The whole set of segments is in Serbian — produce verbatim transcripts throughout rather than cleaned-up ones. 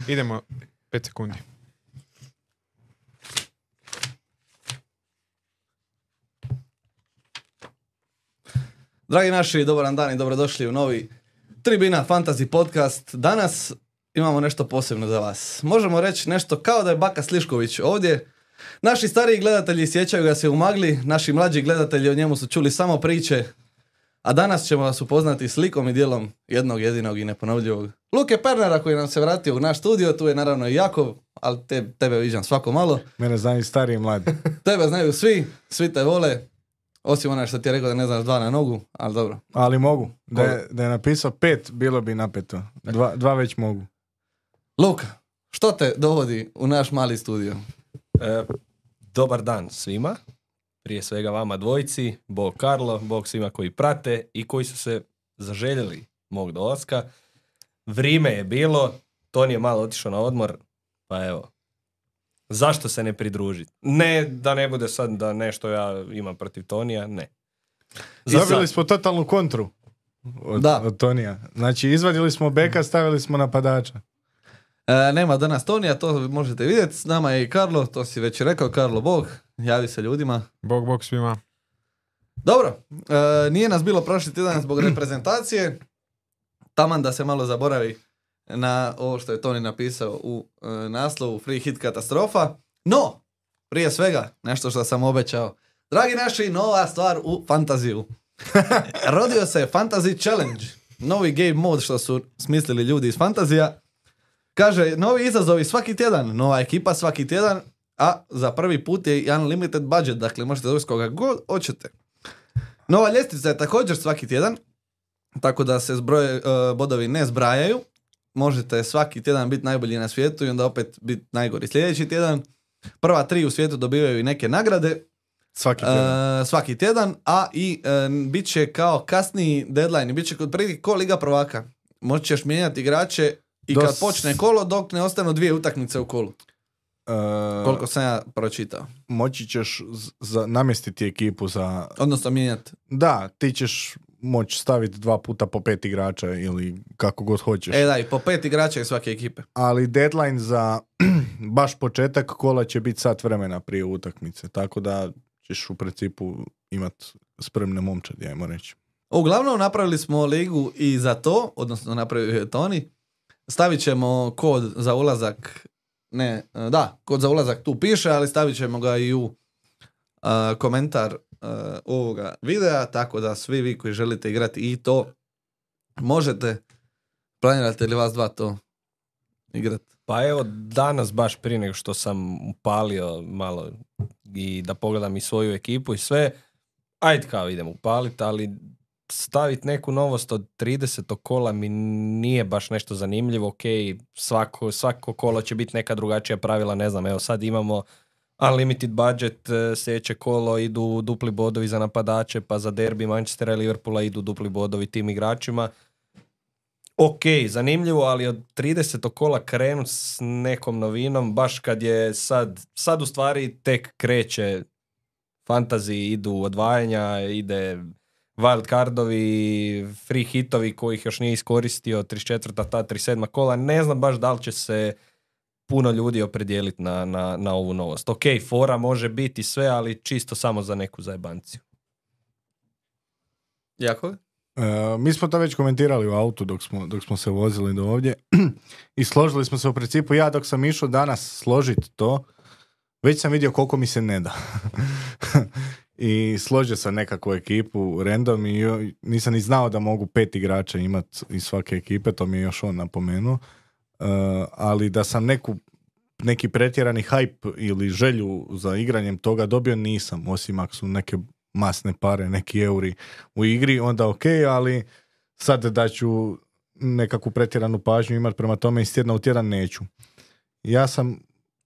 Idemo, pet sekundi. Dragi naši, dobar dan i dobrodošli u novi Tribina Fantasy podcast. Danas imamo nešto posebno za vas. Možemo reći nešto kao da je Baka Slišković ovdje. Naši stariji gledatelji sjećaju ga se u magli, naši mlađi gledatelji o njemu su čuli samo priče, a danas ćemo vas upoznati slikom i dijelom jednog jedinog i neponovljivog Luke Pernera koji nam se vratio u naš studio. Tu je naravno i Jakov, ali te, tebe viđam svako malo. Mene znaju stariji i mladi. Tebe znaju svi, svi te vole. Osim onaj što ti je rekao da ne znaš dva na nogu, ali dobro. Ali mogu. Da je, da je napisao pet, bilo bi napeto. Dva, dva već mogu. Luka, što te dovodi u naš mali studio? E, dobar dan svima. Prije svega vama dvojici, Bog Karlo, Bog svima koji prate i koji su se zaželjeli mog dolaska. Vrijeme je bilo, Toni je malo otišao na odmor, pa evo. Zašto se ne pridružiti? Ne da ne bude sad da nešto ja imam protiv Tonija, ne. Dobili smo totalnu kontru od, Da. od Tonija. Znači, izvadili smo beka, stavili smo napadača. E, nema danas Tonija, to možete vidjeti. S nama je i Karlo, to si već rekao. Karlo, Bog, javi se ljudima. Bog, bog svima. Dobro, e, nije nas bilo prošli tjedan zbog reprezentacije. Taman da se malo zaboravi na ovo što je Toni napisao u e, naslovu Free Hit katastrofa. No, prije svega, nešto što sam obećao. Dragi naši, nova stvar u fantaziju. Rodio se Fantasy Challenge. Novi game mod što su smislili ljudi iz fantazija. Kaže, novi izazovi svaki tjedan, nova ekipa svaki tjedan, a za prvi put je unlimited budget, dakle možete dobiti koga god hoćete. Nova ljestvica je također svaki tjedan, tako da se zbroje, uh, bodovi ne zbrajaju. Možete svaki tjedan biti najbolji na svijetu i onda opet biti najgori sljedeći tjedan. Prva tri u svijetu dobivaju i neke nagrade. Svaki tjedan. Uh, svaki tjedan, a i uh, bit će kao kasniji deadline, bit će kod prvi ko Liga prvaka. Moći ćeš mijenjati igrače i Dos... kad počne kolo, dok ne ostanu dvije utakmice u kolu. Uh, Koliko sam ja pročitao. moći ćeš z- za, namjestiti ekipu za... Odnosno mijenjati. Da, ti ćeš moći staviti dva puta po pet igrača ili kako god hoćeš. E da, i po pet igrača iz svake ekipe. Ali deadline za baš početak kola će biti sat vremena prije utakmice. Tako da ćeš u principu imati spremne momčadi, ajmo reći. Uglavnom napravili smo ligu i za to, odnosno napravio je Toni. Stavit ćemo kod za ulazak, ne, da, kod za ulazak tu piše, ali stavit ćemo ga i u uh, komentar uh, ovoga videa, tako da svi vi koji želite igrati i to možete. Planirate li vas dva to igrati? Pa evo, danas baš prije nego što sam upalio malo i da pogledam i svoju ekipu i sve, ajde kao idem upaliti, ali staviti neku novost od tridesetog kola mi nije baš nešto zanimljivo. Ok, svako, svako kolo će biti neka drugačija pravila, ne znam, evo sad imamo unlimited budget, sljedeće kolo idu dupli bodovi za napadače, pa za derbi Manchestera i Liverpoola idu dupli bodovi tim igračima. Ok, zanimljivo, ali od tridesetog kola krenut s nekom novinom, baš kad je sad, sad u stvari tek kreće fantasy, idu odvajanja, ide wild cardovi, free hitovi kojih još nije iskoristio, trideset četvrta ta trideset sedma kola, ne znam baš da li će se puno ljudi opredijeliti na, na, na ovu novost. Ok, fora može biti sve, ali čisto samo za neku zajebanciju. Jako? Uh, mi smo to već komentirali u autu dok smo, dok smo se vozili do ovdje i složili smo se u principu. Ja dok sam išao danas složiti to, već sam vidio koliko mi se ne da. I složio sam nekakvu ekipu random i nisam ni znao da mogu pet igrača imati iz svake ekipe, to mi je još on napomenuo. Uh, ali da sam neku, neki pretjerani hype ili želju za igranjem toga dobio, nisam, osim ako su neke masne pare, neki euri u igri, onda ok, ali sad da ću nekakvu pretjeranu pažnju imati prema tome iz tjedna u tjedan neću. Ja sam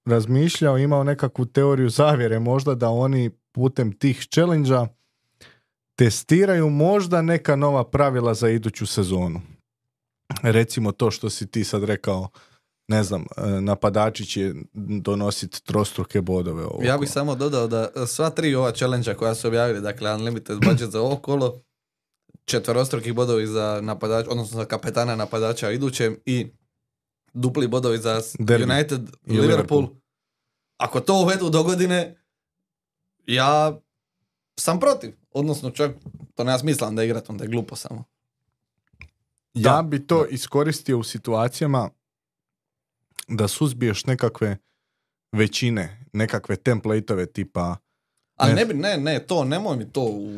razmišljao, imao nekakvu teoriju zavjere možda da oni putem tih challenge-a testiraju možda neka nova pravila za iduću sezonu. Recimo to što si ti sad rekao, ne znam, napadači će donositi trostruke bodove. Ovako. Ja bih samo dodao da sva tri ova challenge-a koja su objavili, dakle unlimited budget za ovo kolo, četverostruki bodovi za napadač, odnosno za kapetana napadača idućem i dupli bodovi za Derby. United, I Liverpool. Liverpool. Ako to uvedu do godine, ja sam protiv. Odnosno čak to nema smisla onda igrati, onda je glupo samo. Ja Da, bi to iskoristio u situacijama da suzbiješ nekakve većine, nekakve templateove tipa. Ali Ne ne bi, ne, ne, to, nemoj mi to u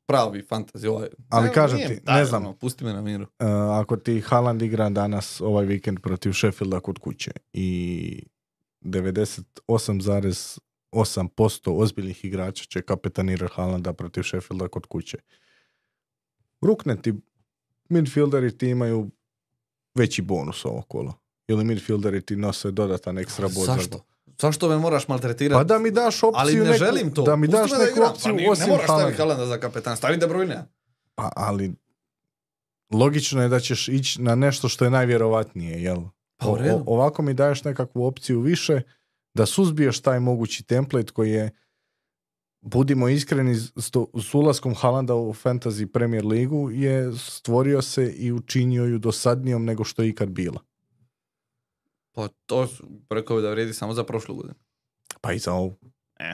pravi fantasy. Ovaj. Ali ne, kažem nije ti, mi ne taj, znam. ono, pusti me na miru. Uh, ako ti Haaland igra danas ovaj vikend protiv Sheffielda kod kuće i devedeset osam zarez osam posto ozbiljnih igrača će kapetanirati Haalanda protiv Sheffielda kod kuće. Rukne ti, midfielderi ti imaju veći bonus ovo kolo. Ili midfielderi ti nose dodatan ekstra bod. za Zašto? gol. Zašto me moraš maltretirati? Pa da mi daš opciju Ali ne neku, želim to. Da mi Pusti daš me da neku igram. opciju Pa ni- osim ne moraš staviti Haalanda. Haalanda za kapetan. Stavi De Bruyne. Pa, ali logično je da ćeš ići na nešto što je najvjerovatnije, jel? Pa u O- redu. o- ovako mi daješ nekakvu opciju više da suzbiješ taj mogući template koji je, budimo iskreni, s, to- s ulaskom Haalanda u Fantasy Premier ligu je stvorio se i učinio ju dosadnijom nego što je ikad bila. Pa to su- rekao bi da vrijedi samo za prošlu godinu. Pa i za ovu. E.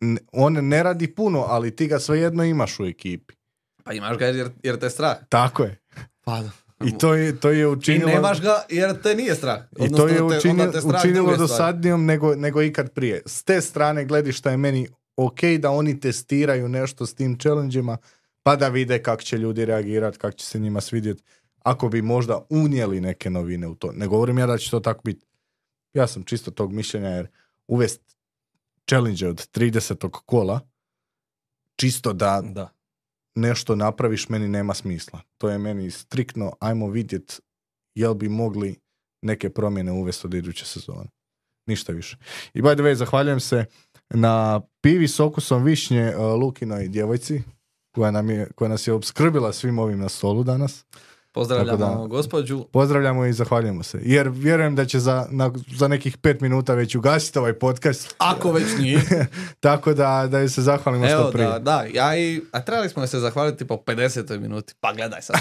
N- On ne radi puno, ali ti ga svejedno imaš u ekipi. Pa imaš ga jer, jer te strah. Tako je. Pa I to je, to je ti učinilo... nemaš ga jer te nije strah. I to Odnosno, je te- učinilo, onda te strah učinilo druge stvari. dosadnijom nego, nego ikad prije. S te strane gledišta je meni ok da oni testiraju nešto s tim challenge-ima pa da vide kako će ljudi reagirati, kako će se njima svidjeti. Ako bi možda unijeli neke novine u to. Ne govorim ja da će to tako biti. Ja sam čisto tog mišljenja jer uvest challenge od tridesetog kola čisto da Da. nešto napraviš meni nema smisla. To je meni striktno, ajmo vidjet jel bi mogli neke promjene uvesti od iduće sezone. Ništa više. I by the way, zahvaljujem se na pivi s okusom višnje uh, Lukinoj djevojci koja, nam je, koja nas je opskrbila svim ovim na stolu danas. Pozdravljamo Tako da- gospođu. Pozdravljamo i zahvaljujemo se. Jer vjerujem da će za, na, za nekih pet minuta već ugasiti ovaj podcast. Ako već nije. Tako da, da joj se zahvalimo što Evo prije. da, da, ja i, a trebali smo joj se zahvaliti po pedesetoj minuti. Pa gledaj sad.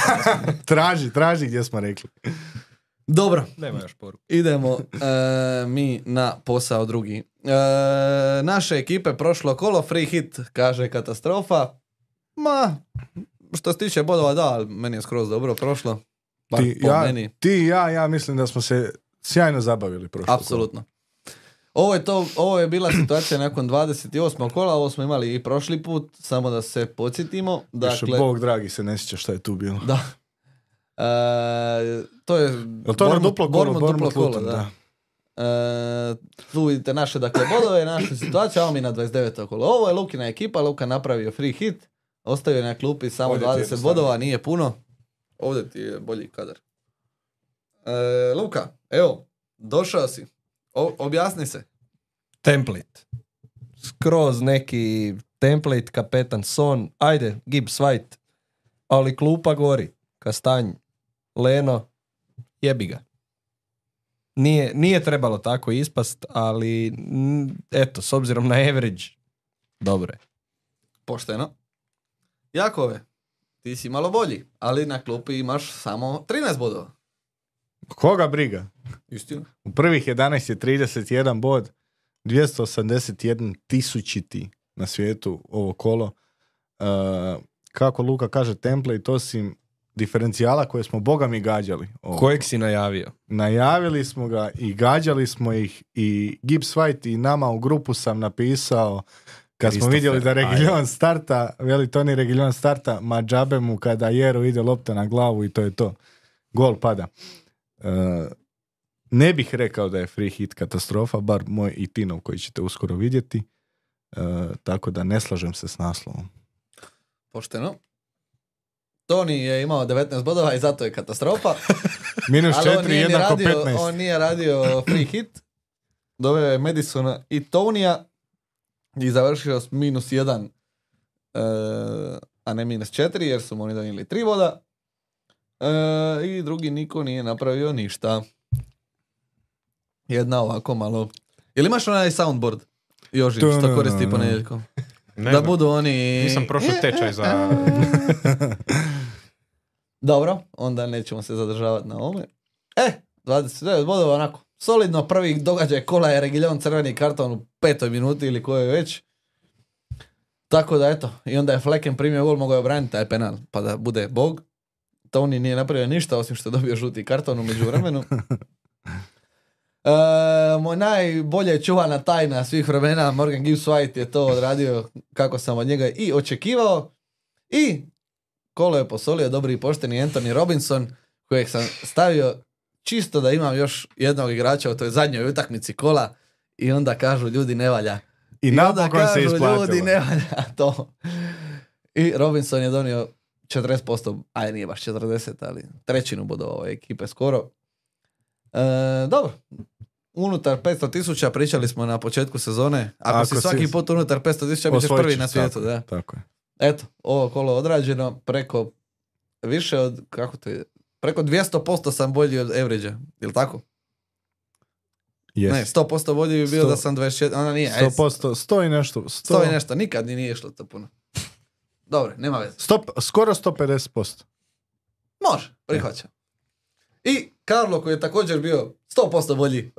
Traži, traži gdje smo rekli. Dobro, Nema još poruku. idemo e, mi na posao drugi. E, naše ekipe prošlo kolo, free hit, kaže katastrofa. Ma, što se tiče bodova, da, ali meni je skroz dobro prošlo. Bar Ti, po ja, meni. ti i ja, ja mislim da smo se sjajno zabavili prošlo. Apsolutno. Ovo je, to, ovo je bila situacija nakon dvadeset osmog kola, ovo smo imali i prošli put, samo da se podsjetimo. Dakle, Dakle, Bog dragi se ne sjeća šta je tu bilo. da. E, to je Jel to ono Bournemouth- duplo kolo? Bournemouth duplo Bournemouth kolo, Luton, da. da. E, tu vidite naše dakle bodove, našu situaciju, a mi na dvadeset deveto kolo. Ovo je Lukina ekipa, Luka napravio free hit, ostavio je na klupi samo Ovdje ti je dvadeset jednostavno. bodova, nije puno. Ovdje ti je bolji kadar. E, Luka, evo, došao si. O, objasni se. Template. Skroz neki template, kapetan Son, ajde, Gibbs White, ali klupa gori. Kastanj, Leno, jebi ga. Nije, nije trebalo tako ispast, ali mm, eto, s obzirom na average, dobro je. Pošteno. Jakove, ti si malo bolji, ali na klupi imaš samo trinaest bodova. Koga briga? Istina. U prvih jedanaest je trideset jedan bod, dvjesto osamdeset jedan tisućiti na svijetu ovo kolo. Uh, kako Luka kaže, template osim diferencijala koje smo boga mi gađali. Ovo. Kojeg si najavio? Najavili smo ga i gađali smo ih i Gibbs White i nama u grupu sam napisao kad smo Christopher, vidjeli da Reguilon ajde. starta, veli Toni Reguilon starta, ma džabe mu kada Jeru ide lopta na glavu i to je to. Gol pada. E, ne bih rekao da je free hit katastrofa, bar moj i Tinov koji ćete uskoro vidjeti. E, tako da ne slažem se s naslovom. Pošteno. Toni je imao devetnaest bodova i zato je katastrofa. Minus Ali on četiri nije, ni jednako radio, petnaest. on nije radio free hit. Doveo je Madisona i Tonija i završio s minus jedan, e, a ne minus četiri jer su mu oni donijeli tri boda. E, I drugi niko nije napravio ništa. Jedna ovako malo. Jel imaš onaj soundboard? Joži, što koristi ponedjeljkom. Ne Da znam, budu oni... nisam prošao tečaj za... Dobro, onda nećemo se zadržavati na ovome. E, dvadeset devet bodova, onako, solidno. Prvi događaj kola je Reguilon crveni karton u petoj minuti ili koje je već. Tako da eto, i onda je Flecken primio gol, mogao je obraniti taj penal, pa da bude bog. Toni nije napravio ništa, osim što je dobio žuti karton u međuvremenu. E, moj najbolje čuvana tajna svih vremena, Morgan Gibbs White je to odradio kako sam od njega i očekivao. I kolo je posolio dobri i pošteni Anthony Robinson, kojeg sam stavio čisto da imam još jednog igrača u toj zadnjoj utakmici kola i onda kažu ljudi ne valja. I, I napokon se isplatilo. Ljudi ne valja to. I Robinson je donio četrdeset posto, aj nije baš četrdeset, ali trećinu bodova ove ekipe skoro. E, dobro. Unutar petsto tisuća pričali smo na početku sezone. Ako, Ako si svaki si... put unutar petsto tisuća bićeš prvi na svijetu. Tako, da. tako je. Eto, ovo kolo odrađeno preko više od, kako to je, preko dvjesto posto sam bolji od average-a, jel tako? Yes. Ne, sto posto bolji bi bio sto, da sam dvadeset četiri, ona nije. sto posto, sto i nešto. sto, sto i nešto, nikad ni nije išlo to puno. Dobro, nema veze. sto, skoro sto pedeset posto. Može, prihvaćam. I Carlo koji je također bio sto posto bolji.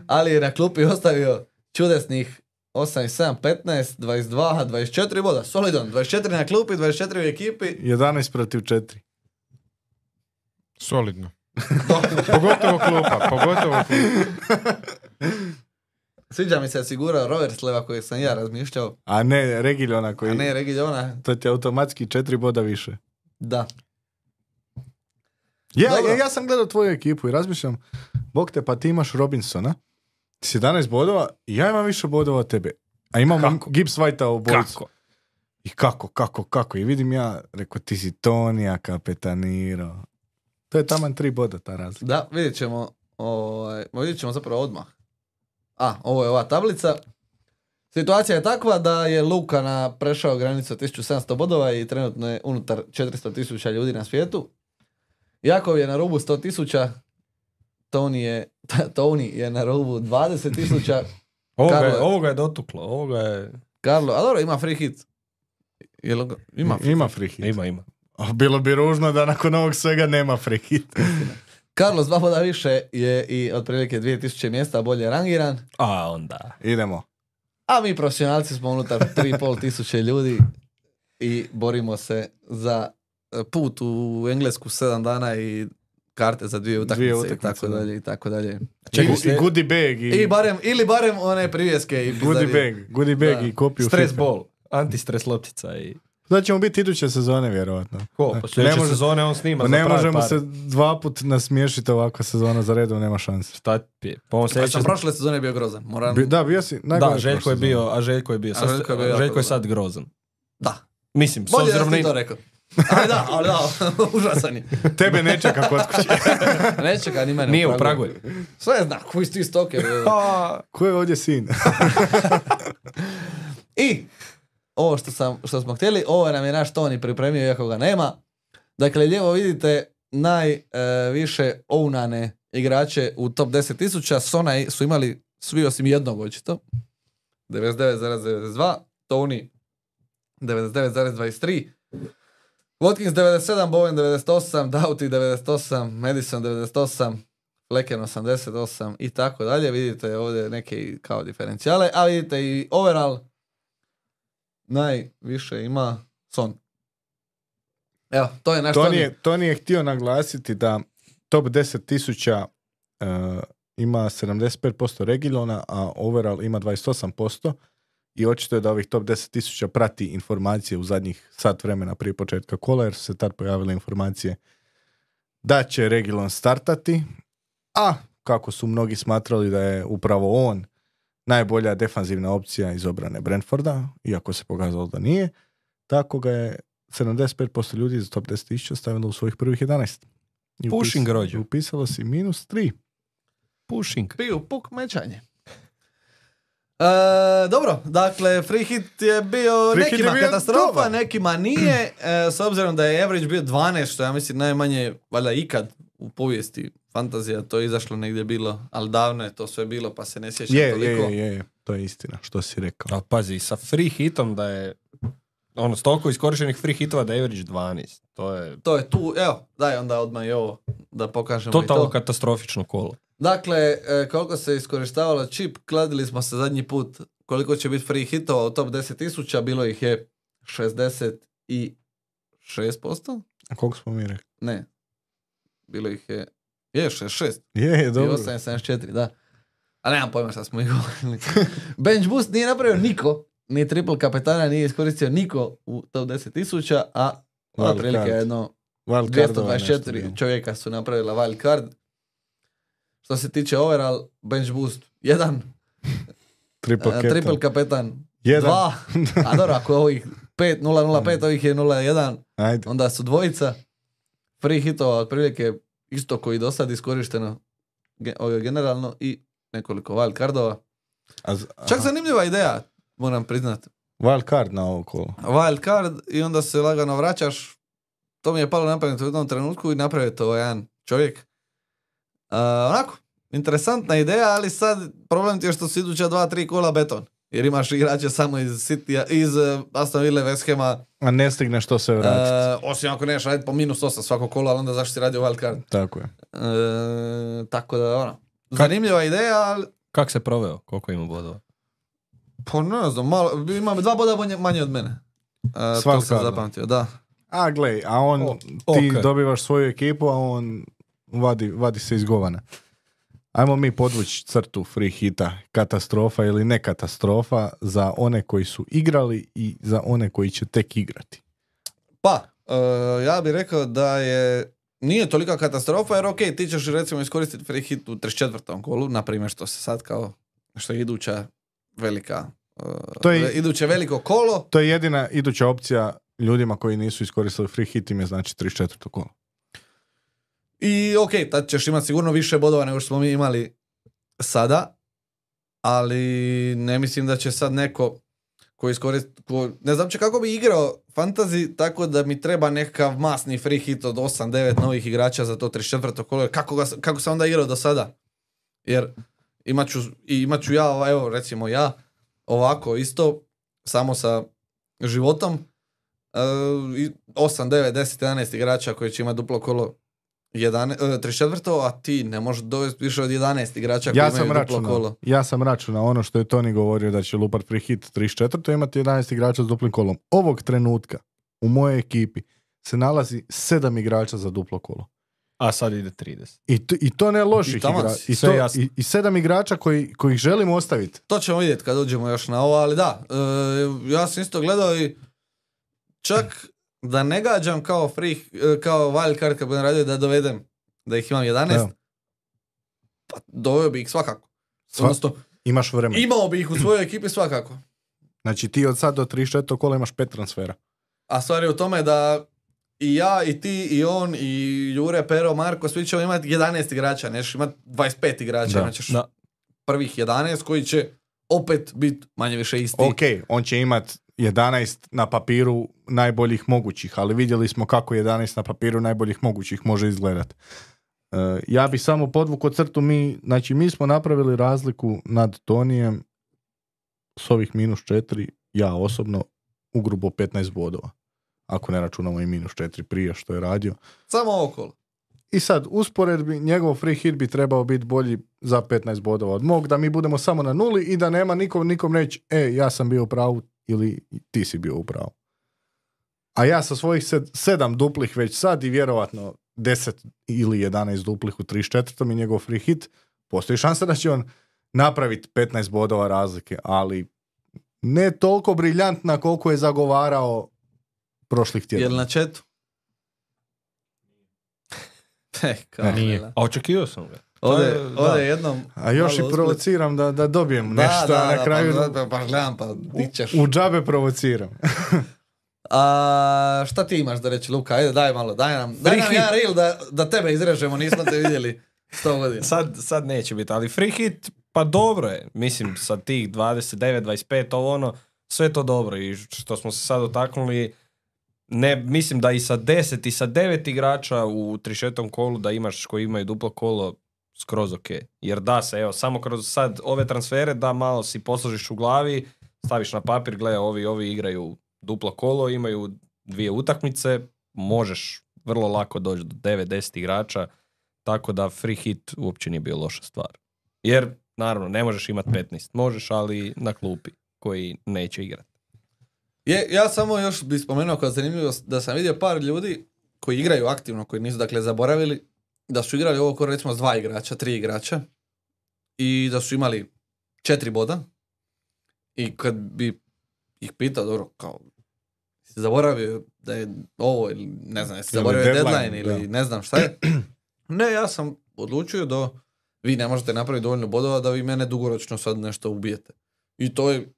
Ali je na klupi ostavio čudesnih osam i sedam, petnaest, dvadeset dva, dvadeset četiri boda. Solidan, dvadeset četiri na klupi, dvadeset četiri u ekipi. jedanaest protiv četiri. Solidno. Pogotovo klupa, pogotovo klupa. Sviđa mi se sigura Roversleva kojeg sam ja razmišljao. A ne Reguilona koji... A ne Reguilona. To ti je automatski četiri boda više. Da. Ja, ja, ja sam gledao tvoju ekipu i razmišljam, bog te, pa ti imaš Robinsona, sedamnaest bodova, i ja imam više bodova od tebe. A imam Gibbs Whitea u bojicu. Kako? I kako, kako, kako. I vidim ja, rekao, ti si Tonija kapetanirao. To je taman tri boda ta razlika. Da, vidjet ćemo, ovaj, vidjet ćemo zapravo odmah. A, ovo je ova tablica. Situacija je takva da je Luka na prešao granicu tisuću sedamsto bodova i trenutno je unutar četiristo tisuća ljudi na svijetu. Jakov je na rubu sto tisuća. Tony je, Tony je na rubu dvadeset tisuća. Ovoga, je, ovoga je dotuklo, ovoga je... Karlo, a dobro, ima free hit. Jel, ima free, ima free hit. Ima, ima. Bilo bi ružno da nakon ovog svega nema free hit. Carlo s dva boda više je i otprilike dvije tisuće mjesta bolje rangiran. A onda. Idemo. A mi profesionalci smo unutar tri i pol tisuće ljudi i borimo se za put u Englesku sedam dana i karte za dvije utakmice, dvije utakmice i tako dalje i tako dalje. Čekaj, i, i goodie bag. I... I barem, ili barem one privjeske. I goodie bag, goodie bag da. I kopiju. Stres ball, antistres loptica i... Da ćemo biti iduće sezone, vjerojatno. Ko? Pa sljedeće može, sezone on snima za ne pravi možemo pare. se dva put nasmiješiti ovakva sezona za redom, nema šanse. Šta je? Pa on sljedeće... sam prošle sezone bio grozan. Moram... Bi, da, bio si najgore. Da, Željko je bio, a Željko je bio. Sad, Željko je, bio Željko je sad grozan. Da. Mislim, s bolje obzirom da si to rekao. Ali da, ali da, užasan je. Tebe ne čeka kod kuće. Ne čeka ni mene. Nije u Pragolju. Sve zna, koji si ti stoker. Ko je ovdje sin? I ovo što, sam, što smo htjeli, ovo nam je naš Toni pripremio iako ga nema. Dakle, lijevo vidite najviše e, ounane igrače u top deset tisuća. Sona su imali svi osim jednog očito. devedeset devet zarez devedeset dva. Tony devedeset devet zarez dvadeset tri. Watkins devedeset sedam, Bowen devedeset osam, Doughty devedeset osam, Madison devedeset osam, Flecken osamdeset osam i tako dalje. Vidite ovdje neke kao diferencijale, a vidite i overall najviše ima Son. Evo, to je naš Toni. Toni. Je, Toni je htio naglasiti da top deset tisuća uh, ima sedamdeset pet posto Reguilona, a overall ima dvadeset osam posto. I očito je da ovih top deset tisuća prati informacije u zadnjih sat vremena prije početka kola, jer su se tad pojavile informacije da će Reguilon startati, a kako su mnogi smatrali da je upravo on najbolja defanzivna opcija iz obrane Brentforda, iako se pokazalo da nije, tako ga je sedamdeset pet posto ljudi iz top deset tisuća stavilo u svojih prvih jedanaest. I Pushing rođu. Upisalo si minus tri. Pushing. Piju puk mečanje. E, dobro, dakle, free hit je bio free nekima je bio katastrofa, dobar. Nekima nije, e, s obzirom da je average bio dvanaest, što ja mislim najmanje, valjda ikad u povijesti fantazija, to je izašlo negdje bilo, ali davno je to sve bilo, pa se ne sjećam je, toliko. Je, je, je, to je istina, što si rekao. Ali pazi, sa free hitom da je ono, stoliko iskorištenih free hitova da je average dvanaest. To je To je tu, evo, daj onda odmah i ovo da pokažemo totalno i to. katastrofično kolo. Dakle, e, koliko se iskorištavalo čip, kladili smo se zadnji put koliko će biti free hitova u top deset tisuća, bilo ih je šezdeset šest posto? A koliko smo mi rekli? Ne. Bilo ih je, je šezdeset šest. Je, je, I dobro. osam je sedamdeset četiri, da. A nemam pojma šta smo ih govorili. Bench boost nije napravio niko, ni triple kapetana nije iskoristio niko u top deset tisuća, a Wild otprilike card. jedno Wild dvjesto cardova dvadeset nešto četiri bilo. čovjeka su napravila wild card. Što se tiče overall, bench boost jedan, Triple a, captain. triple kapetan Jedan. dva, a dobro, ako je ovih pet, nula nula pet, ovih je nula jedan, Ajde. onda su dvojica. Free hitova otprilike isto koji do sad iskorišteno ge- ovo generalno i nekoliko wild cardova. A z- Čak aha. zanimljiva ideja, moram priznat. Wild card na ovo kolo. Wild card i onda se lagano vraćaš. To mi je palo na pamet u jednom trenutku i napravio to jedan čovjek. Uh, onako, interesantna ideja, ali sad problem ti je što su iduća dva, tri kola beton. Jer imaš igrače samo iz Citya, iz uh, Aston Ville, West Hama. A ne stigneš to se vratiti. Uh, osim ako neš raditi po minus osam svako kola, ali onda zašto si radio wild card? Tako je. Uh, tako da, ono, zanimljiva ideja, ali Kako se proveo? Koliko ima bodova? pa ne znam, malo, ima dva boda manje, manje od mene. Uh, S to wild sam cardom. zapamtio, da. A glej, a on, O, ti ok. dobivaš svoju ekipu, a on vadi, vadi se iz govana. Ajmo mi podvući crtu free hita, katastrofa ili ne katastrofa za one koji su igrali i za one koji će tek igrati. Pa, uh, ja bih rekao da je nije tolika katastrofa, jer ok, ti ćeš recimo iskoristiti free hit u trideset četvrtom kolu, na primjer što se sad kao, što je iduća velika, uh, To je- ve- iduće veliko kolo. To je jedina iduća opcija ljudima koji nisu iskoristili free hit, im je znači trideset četvrto kolo. I ok, tad ćeš imati sigurno više bodova nego što smo mi imali sada, ali ne mislim da će sad neko koji iskoristi, ko, ne znam će kako bi igrao fantasy, tako da mi treba nekakav masni free hit od osam devet novih igrača za to trideset četvrto kolo, jer kako, ga, kako sam onda igrao do sada? Jer imat ću, i imat ću ja, evo recimo ja, ovako isto, samo sa životom, uh, i osam, devet, deset, jedanaest igrača koji će imati duplo kolo jedanaest, uh, trideset četvrto, a ti ne možeš dovesti više od jedanaest igrača koji Ja imaju sam, duplo računao, kolo. ja sam računao ono što je Toni govorio da će lupat free hit trideset četvrto imati jedanaest igrača s duplim kolom. Ovog trenutka u mojoj ekipi se nalazi sedam igrača za duplo kolo. A sad ide trideset. I to, i to ne loših I taman igrača. si, I, sve to- jasno. i, I sedam igrača koji, kojih želim ostaviti. To ćemo vidjeti kad uđemo još na ovo, ali da, e, ja sam isto gledao i čak da ne gađam kao free, e, kao wild card kad budem radio da dovedem, da ih imam jedanaest, Evo. pa doveo bi ih svakako. Sva- Odnosno, Imaš vremena. imao bi ih u svojoj ekipi svakako. Znači ti od sad do trideset četvrtog kola imaš pet transfera. A stvar je u tome da i ja, i ti, i on, i Jure, Pero, Marko, svi ćemo imati jedanaest igrača, nećeš imati dvadeset pet igrača, Da. imat ćeš Da. prvih jedanaest koji će opet biti manje više isti. Ok, on će imat jedanaest na papiru najboljih mogućih, ali vidjeli smo kako jedanaest na papiru najboljih mogućih može izgledat. E, ja bi samo podvukao crtu, mi, znači mi smo napravili razliku nad Tonijem s ovih minus četiri, ja osobno, ugrubo petnaest bodova. Ako ne računamo i minus četiri prije što je radio. Samo ovo kolo. I sad, usporedbi, njegov free hit bi trebao biti bolji za petnaest bodova od mog, da mi budemo samo na nuli i da nema nikom, nikom reći, e, ja sam bio u pravu ili ti si bio u pravu. A ja sa svojih sed, sedam duplih već sad i vjerovatno deset ili jedanaest duplih u trideset četvrtom i njegov free hit, postoji šansa da će on napraviti petnaest bodova razlike, ali ne toliko briljantna koliko je zagovarao prošlih Jel tjedana. na chatu? E, kao Nije. vela. A očekivao sam ga. Ovdje, To je- da. ovdje jednom... A još malo i usput- provociram da, da dobijem Da, nešto, da, a na da, kraju pa, pa, pa gledam, pa di ćeš. u džabe provociram. A, šta ti imaš da reći, Luka? Ajde, daj malo, daj nam, daj Free nam hit. jedan reel da, da tebe izrežemo, nismo te vidjeli sto godina. Sad, sad neće biti, ali free hit, pa dobro je. Mislim, sa tih dvadeset devet, dvadeset pet, ovo ono, sve to dobro. I što smo se sad dotaknuli, ne, mislim da i sa deset i sa devet igrača u trideset četvrtom kolu da imaš koji imaju duplo kolo, skroz ok. Jer da se, evo, samo kroz sad ove transfere da malo si posložiš u glavi, staviš na papir, gle, ovi, ovi igraju duplo kolo, imaju dvije utakmice, možeš vrlo lako doći do devet deset igrača, tako da free hit uopće nije bio loša stvar. Jer, naravno, ne možeš imati petnaest, možeš, ali na klupi koji neće igrati. Je, ja samo još bih spomenuo kao zanimljivo da sam vidio par ljudi koji igraju aktivno, koji nisu dakle zaboravili, da su igrali ovo kao recimo s dva igrača, tri igrača i da su imali četiri boda i kad bi ih pitao, dobro, kao si zaboravio da je ovo ili ne znam, jesi zaboravio deadline, deadline ili da. Ne znam šta je. Ne, ja sam odlučio da vi ne možete napraviti dovoljno bodova da vi mene dugoročno sad nešto ubijete. I to je,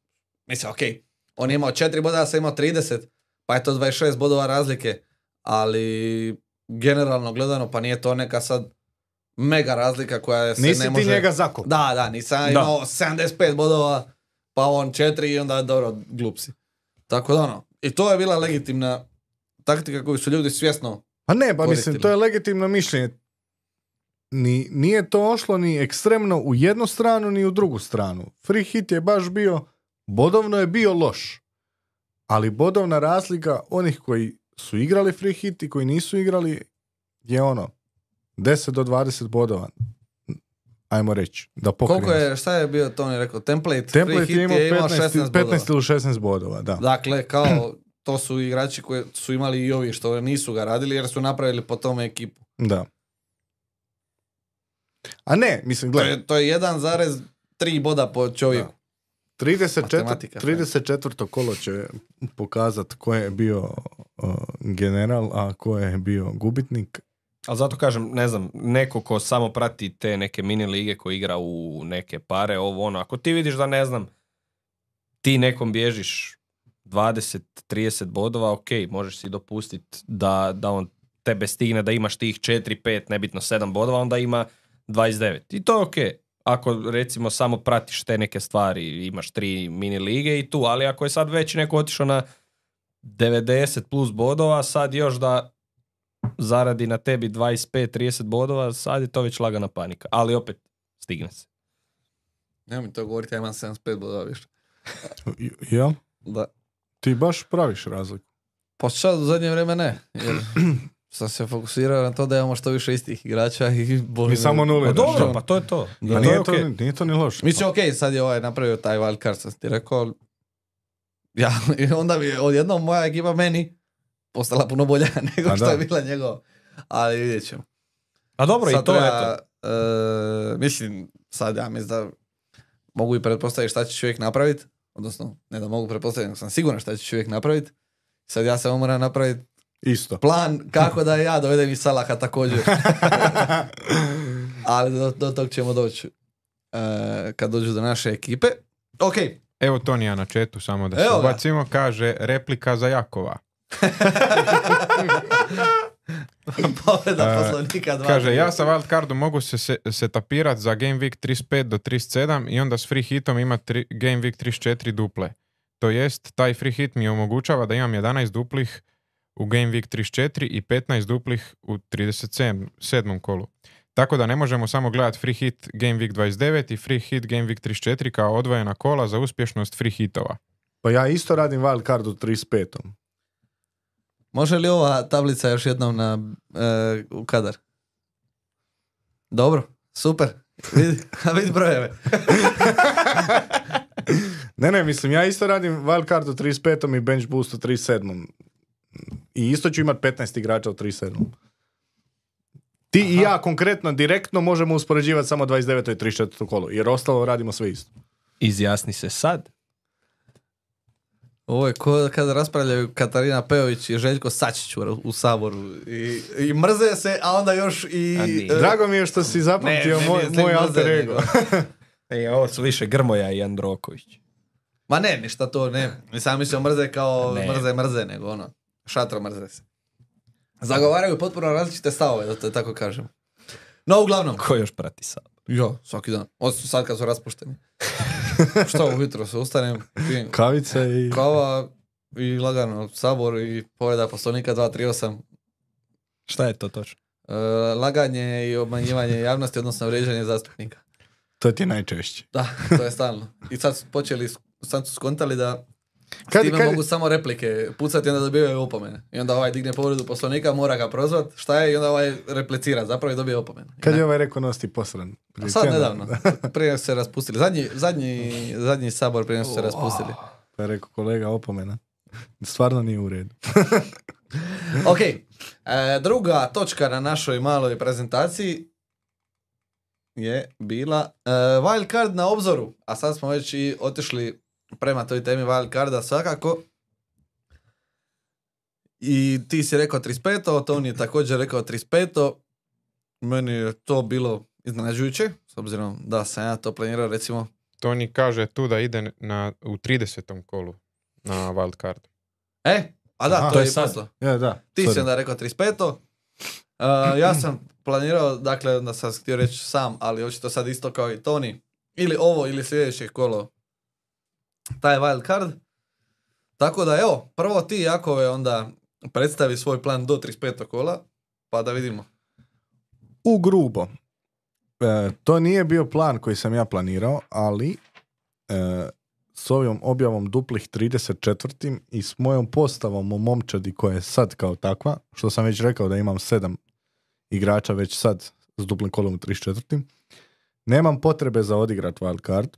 mislim, okej, okay, on je imao četiri boda, ja sam imao trideset, pa je to dvadeset šest bodova razlike, ali generalno gledano, pa nije to neka sad mega razlika koja se nisi ne može... Nisi ti njega zakop. Da, da, nisam da. imao sedamdeset pet bodova, pa on četiri i onda dobro, glupsi. Tako da ono, i to je bila legitimna taktika koju su ljudi svjesno Pa ne, pa koristili. mislim, to je legitimno mišljenje. Ni, nije to ošlo ni ekstremno u jednu stranu, ni u drugu stranu. Free hit je baš bio, bodovno je bio loš. Ali bodovna razlika onih koji su igrali free hit i koji nisu igrali je ono, deset do dvadeset bodova. Ajmo reći, da pokrijemo. Koliko je, šta je bio Toni rekao, template, template free hit je imao petnaest, šesnaest petnaest bodova. ili šesnaest bodova, da. Dakle, kao, to su igrači koji su imali i ovi što nisu ga radili jer su napravili po tome ekipu. Da. A ne, mislim, To gledaj. je, to je jedan zarez tri boda po čovjeku. trideset četvrto kolo će pokazati ko je bio uh, general, a ko je bio gubitnik. Ali zato kažem, ne znam, neko ko samo prati te neke mini lige koji igra u neke pare, ovo ono, ako ti vidiš da ne znam, ti nekom bježiš dvadeset trideset bodova, ok, možeš si dopustiti da, da on tebe stigne, da imaš tih četiri pet, nebitno sedam bodova, onda ima dvadeset devet. I to je ok. Ako recimo samo pratiš te neke stvari, imaš tri mini lige i tu, ali ako je sad već neko otišao na devedeset plus bodova, sad još da zaradi na tebi dvadeset pet trideset bodova, sad je to već lagana panika. Ali opet, stigne se. Nemoj mi to govoriti, ja imam sedamdeset pet bodova više. Jel? Da. Ti baš praviš razliku. Pa sad u zadnje vrijeme ne, jer sam se fokusirao na to da imamo što više istih igrača i boli. I samo nule. Pa dobro, pa to je to. Da, to nije, je to, okay. nije to ni loše. Mislim, ok, sad je ovaj napravio taj wild card, sam ti rekao. Ja, i onda bi odjednom moja ekipa meni postala puno bolja nego A što da. je bila njegova. Ali vidjet ćemo. A dobro, Sad i to treba, je to. e, mislim, sad ja mislim da mogu i pretpostaviti šta će čovjek napraviti. Odnosno, ne da mogu pretpostaviti, nego sam siguran šta će čovjek napraviti. Sad ja samo moram napraviti Isto. plan kako da ja dovedem i Salaha također. Ali do, do tog ćemo doći e, kad dođu do naše ekipe. Ok. Evo Tonija na chatu, samo da se Evo ga. ubacimo, kaže replika za Jakova. Povreda E, poslovnika dva. Kaže, ja sa wildcardom mogu se, se setapirati za Game Week trideset pet do trideset sedam i onda s free hitom ima tri, Game Week trideset četiri duple. To jest, taj free hit mi omogućava da imam jedanaest duplih u Game Week trideset četiri i petnaest duplih u trideset sedmom kolu. Tako da ne možemo samo gledati free hit Game Week dvadeset devet i free hit Game Week trideset četiri kao odvojena kola za uspješnost free hitova. Pa ja isto radim wild card u trideset petom. Može li ova tablica još jednom na, e, u kadar? Dobro, super. Vidi, a vidi brojeve. Ne, ne, mislim, ja isto radim wild card u trideset petom i bench boost u trideset sedmom. I isto ću imati petnaest igrača u trideset sedmom. Ti Aha. i ja konkretno, direktno možemo uspoređivati samo dvadeset deveto i trideset četvrto kolo, jer ostalo radimo sve isto. Izjasni se sad. Ovo je ko kada raspravljaju Katarina Peović i Željko Sačić u, u Saboru. I, I mrze se, a onda još i... A e, Drago mi je što si zapamtio Ne, moj, ne, ne, moj ne, alter ne, ego. E, ovo su više Grmoja i Androković. Ma ne, ništa to ne. Nisam mislio mrze kao Ne. mrze mrze, nego ono, šatro mrze se. Zagovaraju potpuno različite stavove, da to tako kažem. No, uglavnom. Ko još prati Sabor? Jo, svaki dan. Osim sad kad su raspušteni. Šta ujutro se ustanem, pijem Kavica i... kava i lagano Sabor i povreda poslovnika dva tri osam. Šta je to točno? E, laganje i obmanjivanje javnosti, odnosno vrijeđanje zastupnika. To ti je najčešće. Da, to je stalno. I sad su počeli, sad su skontali da S Kad- time kad- mogu samo replike pucati i onda dobivaju opomene. I onda ovaj digne povredu poslovnika, mora ga prozvat, šta je, i onda ovaj replicira, zapravo i dobije opomenu. Kad je ovaj rekao nosti posran? A Prije sad tjedan. nedavno, prije su se raspustili. Zadnji, zadnji, zadnji sabor prije su se raspustili. Pa je rekao kolega opomena. Stvarno nije u redu. Ok, e, druga točka na našoj maloj prezentaciji je bila e, wild card na obzoru, a sad smo već i otišli prema toj temi wild carda svakako. I ti si rekao trideset pet. Toni je također rekao trideset pet. Meni je to bilo iznenađujuće, s obzirom da sam ja to planirao, recimo. Toni kaže tu da ide na, u tridesetom kolu na wild card. E, a da, Aha, to, to je je i sad. poslao. Ja, da. Ti sorry. si onda rekao trideset pet. Uh, ja sam planirao, dakle, onda sam htio reći sam, ali očito sad isto kao i Toni. Ili ovo, ili sljedeće kolo. Taj wild card. Tako da, evo, prvo ti, Jakove, onda predstavi svoj plan do trideset petog kola, pa da vidimo. U grubo. E, to nije bio plan koji sam ja planirao, ali e, s ovim objavom duplih trideset četiri i s mojom postavom u momčadi koja je sad kao takva, što sam već rekao da imam sedam igrača već sad s duplim kolom u trideset četiri. Nemam potrebe za odigrat wild card.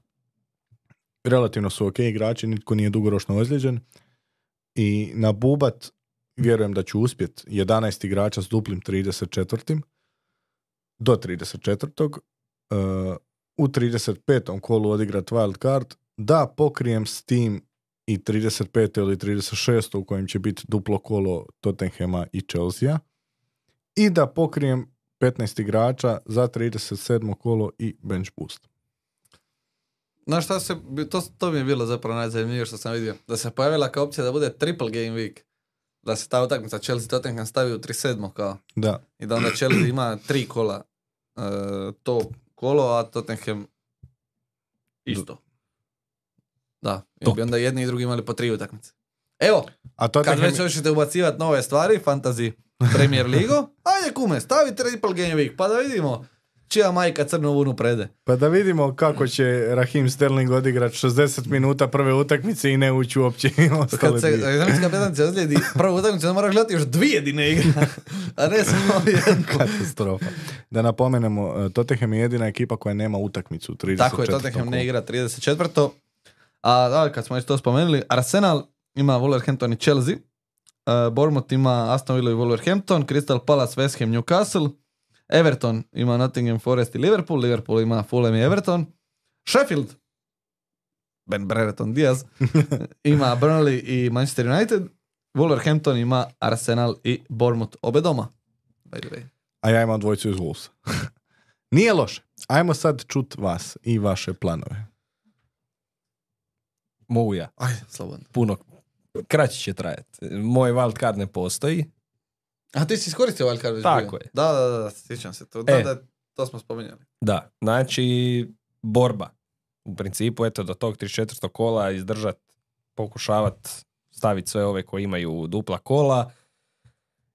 Relativno su ok igrači, nitko nije dugoročno ozlijeđen. I na bubat vjerujem da ću uspjeti jedanaest igrača s duplim trideset četiri. Do trideset četvrtog. Uh, u trideset petom kolu odigrat wild card, da pokrijem s tim i trideset peto ili trideset šesto u kojem će biti duplo kolo Tottenhama i Chelsea, i da pokrijem petnaest igrača za trideset sedmo kolo i bench boost. Znaš šta se, to, to mi je bilo zapravo najzanimljivije što sam vidio. Da se pojavila kao opcija da bude triple game week. Da se ta utakmica Chelsea Tottenham stavi u trideset sedmo kao. Da. I da onda Chelsea ima tri kola uh, to kolo, a Tottenham isto. Da, i bi onda jedni i drugi imali po tri utakmice. Evo, A kad Tottenham, već hoćete ubacivati nove stvari, fantasy Premier Ligu, ajde kume, stavi triple game week, pa da vidimo čija majka crnu vunu prede. pa da vidimo kako će Raheem Sterling odigrat šezdeset minuta prve utakmice i ne ući uopće i ostale Kad se dvije. Zemljska petan se ozlijedi prvu utakmicu, da mora gledati još dvije dine igra, a ne samo jednu. Katastrofa. Da napomenemo, Tottenham je jedina ekipa koja nema utakmicu u trideset četvrtom Tako je, Tottenham ne kolu. igra trideset četvrto. A da, kad smo već to spomenuli, Arsenal ima Wolverhampton i Chelsea, uh, Bournemouth ima Aston Villa i Wolverhampton, Crystal Palace, West Ham, Newcastle, Everton ima Nottingham Forest i Liverpool, Liverpool ima Fulham i Everton, Sheffield, Ben Brereton Diaz, ima Burnley i Manchester United, Wolverhampton ima Arsenal i Bournemouth, obe doma. By the way. A ja imam dvojicu iz Wolvesa. Nije loše. Ajmo sad čut vas i vaše planove. Mogu ja. Ajde, slobodno. Puno kraće će trajati. Moj wild card ne postoji. A ti si iskoristio wild card već Tako bio? je. Da, da, da, sjećam se to. Da, E. da, to smo spominjali. Da, znači borba. U principu, eto, do tog trideset četvrtog kola izdržat, pokušavat staviti sve ove koji imaju dupla kola,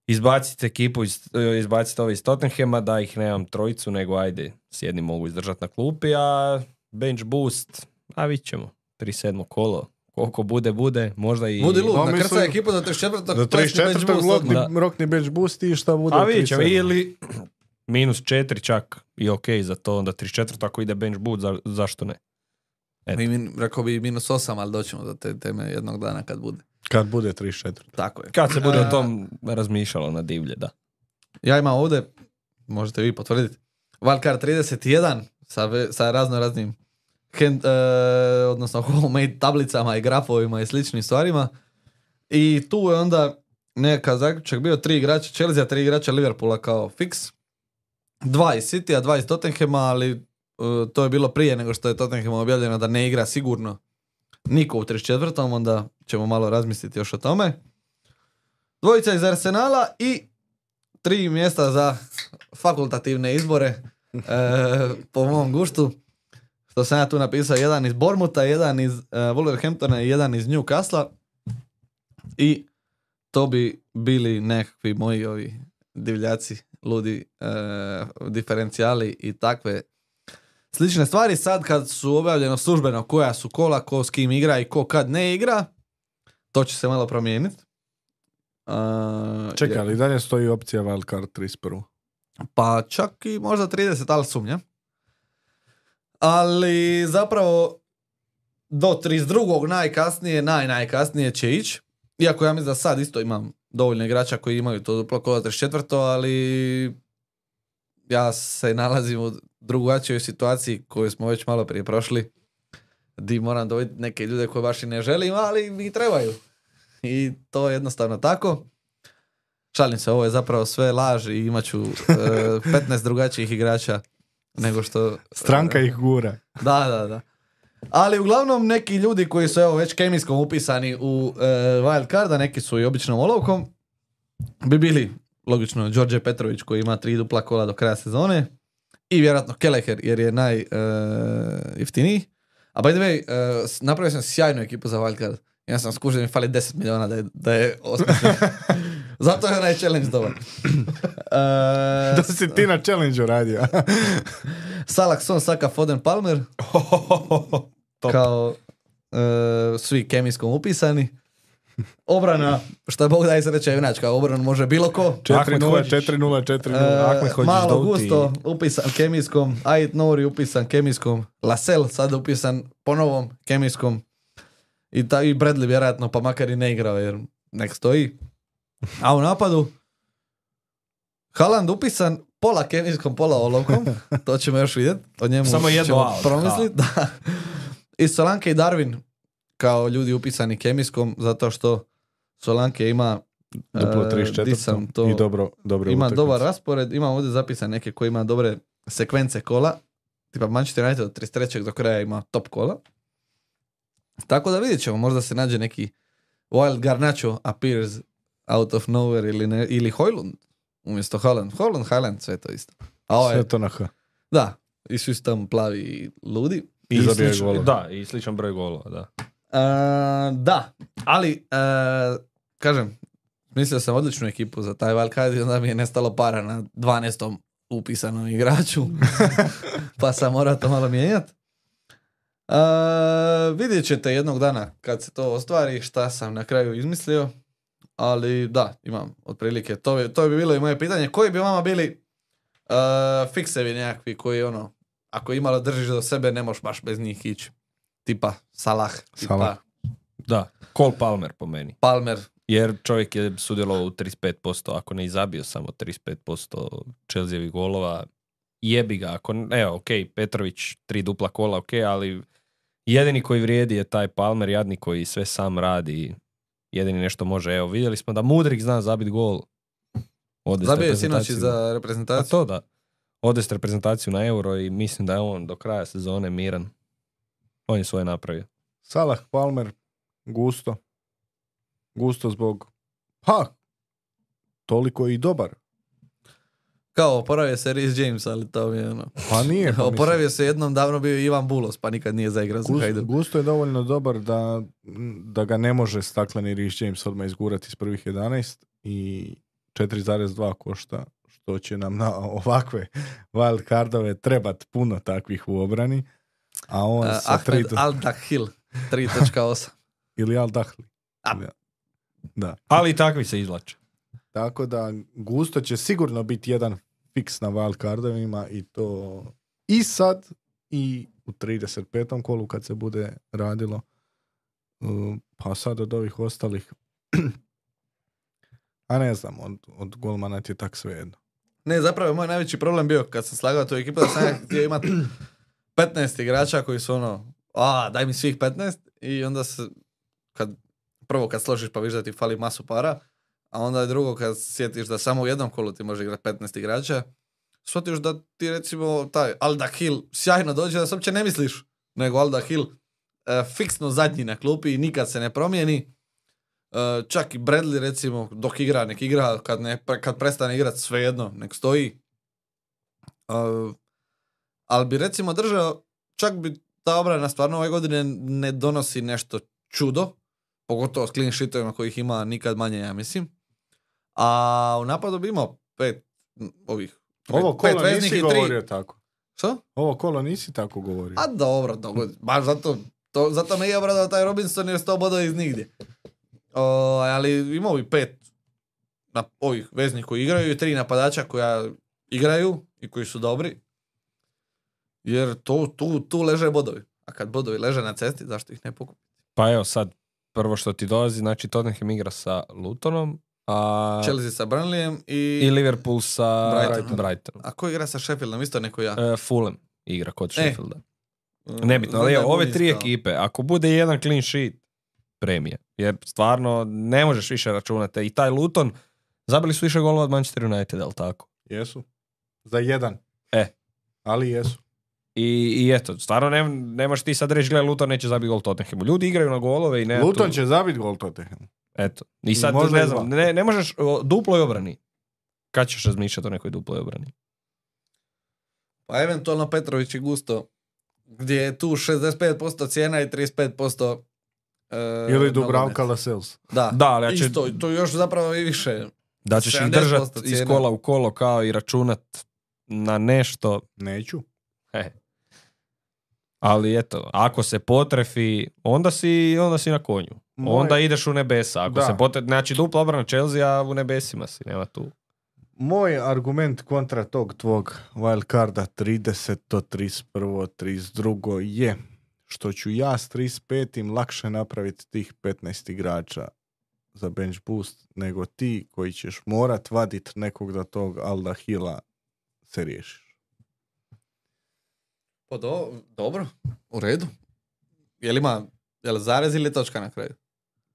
izbaciti ekipu, iz, izbaciti ove iz Tottenhama, da ih nemam trojicu, nego ajde, s jednim mogu izdržati na klupi, a bench boost, a vidit ćemo, trideset sedmo kolo, koliko bude, bude, možda i... Budi lud, No, na mislim- krca ekipu do trideset četvrtog Do trideset četvrtog rokni, Da. rokni bench boost i šta bude A u vidjet ćemo, trideset sedmom. ili minus četiri čak i ok za to, onda trideset četvrto ako ide bench boost, za, zašto ne? Eto. Mi, min, rekao bi minus osam, ali doćemo do te teme jednog dana kad bude. Kad bude trideset četiri. Tako je. Kad se bude A, o tom razmišljalo na divlje, da. Ja imam ovdje, možete vi potvrditi, Wildcard trideset jedan sa, ve- sa razno raznim hand, e, odnosno homemade tablicama i grafovima i sličnim stvarima. I tu je onda neka zaključak bio tri igrača Chelsea, tri igrača Liverpoola kao fix. Dva iz City, a dva iz Tottenhama, ali e, to je bilo prije nego što je Tottenham objavljeno da ne igra sigurno niko u trideset četvrtom, onda ćemo malo razmisliti još o tome. Dvojica iz Arsenala i tri mjesta za fakultativne izbore e, po mom guštu. Što sam ja tu napisao, jedan iz Bournemoutha, jedan iz uh, Wolverhamptona i jedan iz Newcastle. I to bi bili nekakvi moji ovi divljaci, ludi e, diferencijali i takve slične stvari. Sad kad su objavljeno službeno koja su kola, ko s kim igra i ko kad ne igra, to će se malo promijeniti. Uh, Čekaj, ali dalje stoji opcija wildcard trideset prva. Pa čak i možda trideset, ali sumnjam. Ali zapravo do trideset drugog najkasnije, naj najkasnije će ići. Iako ja mislim da sad isto imam dovoljno igrača koji imaju to duplo kola trideset četvrto, ali ja se nalazim u drugačijoj situaciji koju smo već malo prije prošli, di moram dobiti neke ljude koje baš i ne želim, ali mi trebaju. I to je jednostavno tako. Šalim se, ovo je zapravo sve laž i imat ću uh, petnaest drugačijih igrača nego što... Stranka ih gura. Da, da, da. Ali uglavnom neki ljudi koji su evo već kemijskom upisani u uh, wild carda, neki su i običnom olovkom, bi bili logično Đorđe Petrović koji ima tri dupla kola do kraja sezone i vjerojatno Kelleher jer je naj uh, jeftiniji. A by the way, uh, napravio sam sjajnu ekipu za wild card. Ja sam skužio da mi fali deset miliona da je, da je osmišljen. Zato je onaj challenge dobar. Uh, Da si ti na challenge-u radio. Salah, Son, Saka, Foden, Palmer. Kao uh, svi kemijskom upisani. Obrana, šta Bog da i sreća junač, kao obranu može bilo ko. četiri nula, četiri nula, četiri nula. Uh, malo Gusto upisan kemijskom, Ait Nouri upisan kemijskom, Lasel sad upisan po novom kemijskom i, ta, i Bradley vjerojatno pa makar i ne igrao jer nek stoji. A u napadu Haaland upisan pola kemijskom, pola olovkom, to ćemo još vidjeti, o njemu samo jedno ćemo out, promisliti. Da. I Solanke i Darwin kao ljudi upisani kemijskom zato što Solanke ima Duplo uh, trideset četiri di sam to, i dobro, dobro ima utakmice. dobar raspored, ima ovdje zapisan neke koji ima dobre sekvence kola, tipa Manchester United od trideset trećeg do kraja ima top kola. Tako da vidjet ćemo, možda se nađe neki Wild Garnacho appears out of nowhere ili, ne, ili Højlund umjesto Haaland. Haaland, Haaland, sve to isto. A ovaj, Sve to na H. da, i svi su tamo plavi i ludi. I I zabije sličan, golove. da, i sličan broj golova, da. Uh, da, ali uh, kažem, mislio sam odličnu ekipu za taj wildcard i onda mi je nestalo para na dvanaestom upisanom igraču, pa sam morao to malo mijenjati. Uh, vidjet ćete jednog dana kad se to ostvari šta sam na kraju izmislio, ali da, imam otprilike, to bi, to bi bilo i moje pitanje, koji bi vama bili uh, fiksevi nekakvi koji ono, ako imalo držiš do sebe ne možeš baš bez njih ići, tipa Salah, tipa Salah. Da, Cole Palmer po meni. Palmer. Jer čovjek je sudjelovao u trideset pet posto, ako ne izabio samo trideset pet posto Chelseavih golova, jebi ga, ako, evo, ok, Petrović, tri dupla kola, ok, ali jedini koji vrijedi je taj Palmer, jadni koji sve sam radi, jedini nešto može, evo, vidjeli smo da Mudrik zna zabiti gol. Ode s Zabio je sinoć reprezentacijom. za A reprezentaciju. to da, ode s reprezentaciju na Euro i mislim da je on do kraja sezone miran. On je svoje napravio. Salah, Palmer, Gusto. Gusto zbog, ha, toliko i dobar. Kao, oporavio se Reece James, ali to mi je ono... Pa nije. Pa Oporavio se jednom, davno bio Ivan Bulos, pa nikad nije zaigrao za Gusto, Hajduk. Gusto je dovoljno dobar da, da ga ne može stakleni Reece James odmah izgurati iz prvih jedanaest i četiri zarez dva košta, što će nam na ovakve wild cardove trebat puno takvih u obrani. A on Uh, sa Ahmed tri... Al-Dakhil, tri točka osam. Ili Al Dahli. A. Da. Ali i takvi se izvlače. Tako da Gusto će sigurno biti jedan fiks na wild cardovima i to i sad i u trideset petom kolu kad se bude radilo. Uh, pa sad od ovih ostalih a ne znam, od, od golmana ti je tak svejedno. Ne, zapravo je moj najveći problem bio kad sam slagao tu ekipu da sam ja htio imati petnaest igrača koji su ono, a daj mi svih petnaest i onda se, kad, prvo kad složiš pa vidiš da ti fali masu para, a onda je drugo kad sjetiš da samo u jednom kolu ti može igrati petnaest igrača, shvatiš da ti recimo taj Al-Dakhil sjajno dođe da se uopće ne misliš, nego Al-Dakhil uh, fiksno zadnji na klupi i nikad se ne promijeni. Uh, čak i Bradley recimo dok igra, nek igra, kad, ne, kad prestane igrati svejedno, nek stoji. Uh, ali bi recimo držao, čak bi ta obrana stvarno ove godine ne donosi nešto čudo, pogotovo s clean sheetovima kojih ima nikad manje, ja mislim. A u napadu bi imao pet ovih. Ovo pet kolo veznih nisi i tri- govorio tako. Što? Ovo kolo nisi tako govorio. A dobro, dogodi. Baš zato, to, zato me je obradao taj Robinson jer sto bodova iz nigdje. o, ali imao bi pet na, ovih veznih koji igraju i tri napadača koja igraju i koji su dobri. Jer to, tu, tu leže bodovi. A kad bodovi leže na cesti, zašto ih ne pokupiti? Pa evo sad, prvo što ti dolazi, znači Tottenham igra sa Lutonom, a... Chelsea sa Burnleyem i... i Liverpool sa Brighton. Brightonom. A ko igra sa Sheffieldom? Isto neko ja. E, Fulham igra kod E. Sheffielda. Nebitno, ali evo, ove tri ekipe, ako bude jedan clean sheet, premije. Jer stvarno ne možeš više računati. I taj Luton, zabili su više golova od Manchester United, ali tako? Jesu. Za jedan. E. Ali jesu. I, i eto, stvarno ne, nemaš ti sad reći, gledaj, Luton neće zabiti gol Tottenhamu. Ljudi igraju na golove i ne... Luton tu... će zabiti gol Tottenhamu. Eto. I sad, Možda ne i znam, dva. ne, ne možeš o, duploj obrani. Kad ćeš razmišljati o nekoj duploj obrani? Pa eventualno Petrović i Gusto, gdje je tu šezdeset pet posto cijena i trideset pet posto e, Ili Dubravka nogomet. Lascelles. Da, Da, ali ja će- isto, to još zapravo i više. Da ćeš ih sedamdeset držat posto iz cijena. kola u kolo kao i računat na nešto. Neću. He. Ali eto, ako se potrefi, onda si, onda si na konju. Moj- Onda ideš u nebesa. Ako Da. se potrefi, znači dupla obrana Chelsea, a u nebesima si, nema tu. Moj argument kontra tog tvog wildcarda trideseto, trideset prvo, trideset drugo je što ću ja s trideset petim lakše napraviti tih petnaest igrača za bench boost nego ti koji ćeš morat vadit nekog da tog Alda Hila se riješiš. Pa do, dobro, u redu. Jel ima, jel zarez ili točka na kraju?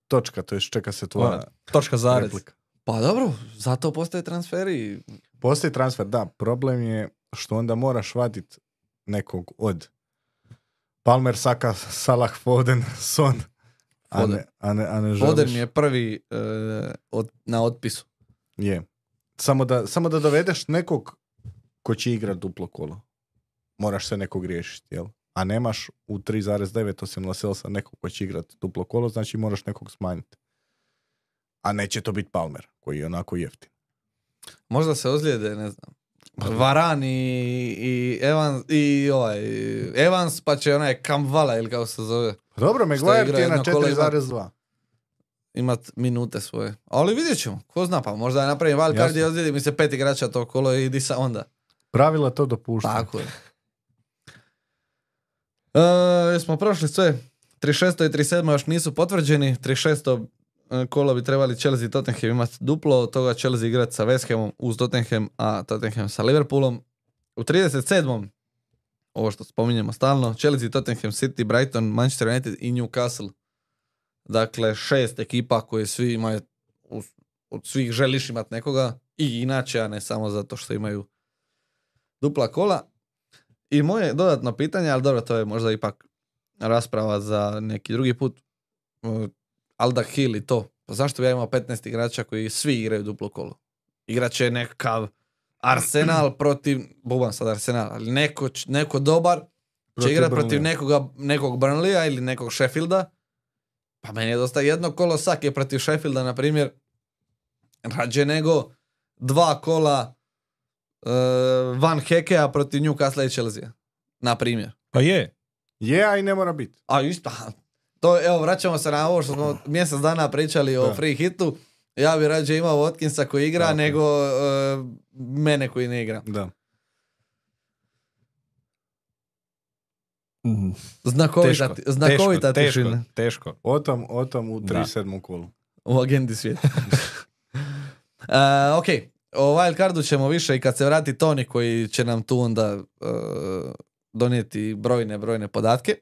Točka, to je čeka se tvoja Ona, točka zarez. replika. Pa dobro, zato postoje transferi. Postoji transfer, da. Problem je što onda moraš vadit nekog od Palmer, Saka, Salah, Foden, Son. A Foden. ne, a ne, a ne želiš. Foden mi je prvi e, od, na otpisu. Je. Samo da, samo da dovedeš nekog ko će igrat duplo kolo. Moraš se nekog riješiti, jel? A nemaš u tri zarez devet osim Lascellesa nekog ko će igrat duplo kolo, znači moraš nekog smanjiti. A neće to biti Palmer, koji je onako jeftin. Možda se ozlijede, ne znam. Varan i, i, Evans, i ovaj, Evans, pa će onaj Kamvala ili kako se zove, Dobro, Maguire igra ti je na jedno kolo, četiri zarez dva. imat minute svoje. Ali vidjet ćemo, ko zna, pa možda napravim wildcard Jasno. i ozlijedi mi se pet igrača to kolo i di sa onda. Pravila to dopušta. Tako je. E, smo prošli sve. trideset šesto i trideset sedmo još nisu potvrđeni. trideset šesto kolo bi trebali Chelsea i Tottenham imati duplo, od toga Chelsea igrati sa West Hamom uz Tottenham, a Tottenham sa Liverpoolom. U trideset sedmom ovo što spominjemo stalno, Chelsea, Tottenham, City, Brighton, Manchester United i Newcastle. Dakle, šest ekipa koje svi imaju, od svih želiš imati nekoga i inače, a ne samo zato što imaju dupla kola. I moje dodatno pitanje, ali dobro, to je možda ipak rasprava za neki drugi put. Uh, Alda Hill i to. Pa zašto bi ja imao petnaest igrača koji svi igraju duplo kolo? Igraće nekakav Arsenal protiv, bubam sad Arsenal, ali neko, neko dobar će Protiv igrati protiv Burnleya. nekoga, nekog Burnleya ili nekog Sheffielda. Pa meni je dosta jedno kolo Sake protiv Sheffielda, na primjer, rađe nego dva kola uh, Van Hekea protiv Newcastle i Chelsea. Na primjer. Pa je. Je, a i ne mora biti. A isto, to, evo, vraćamo se na ovo što smo mjesec dana pričali o Da. free hitu. Ja bi rađe imao Watkinsa koji igra, Tako. nego uh, mene koji ne igra. Da. Mm, Znakovita, Teško, ti- znakovita teško, tišina teško, teško. O tom, o tom u Da. trideset sedmom kolu. u agendi svijeta. uh, ok, o wildcardu ćemo više i kad se vrati Toni koji će nam tu onda uh, donijeti brojne, brojne podatke.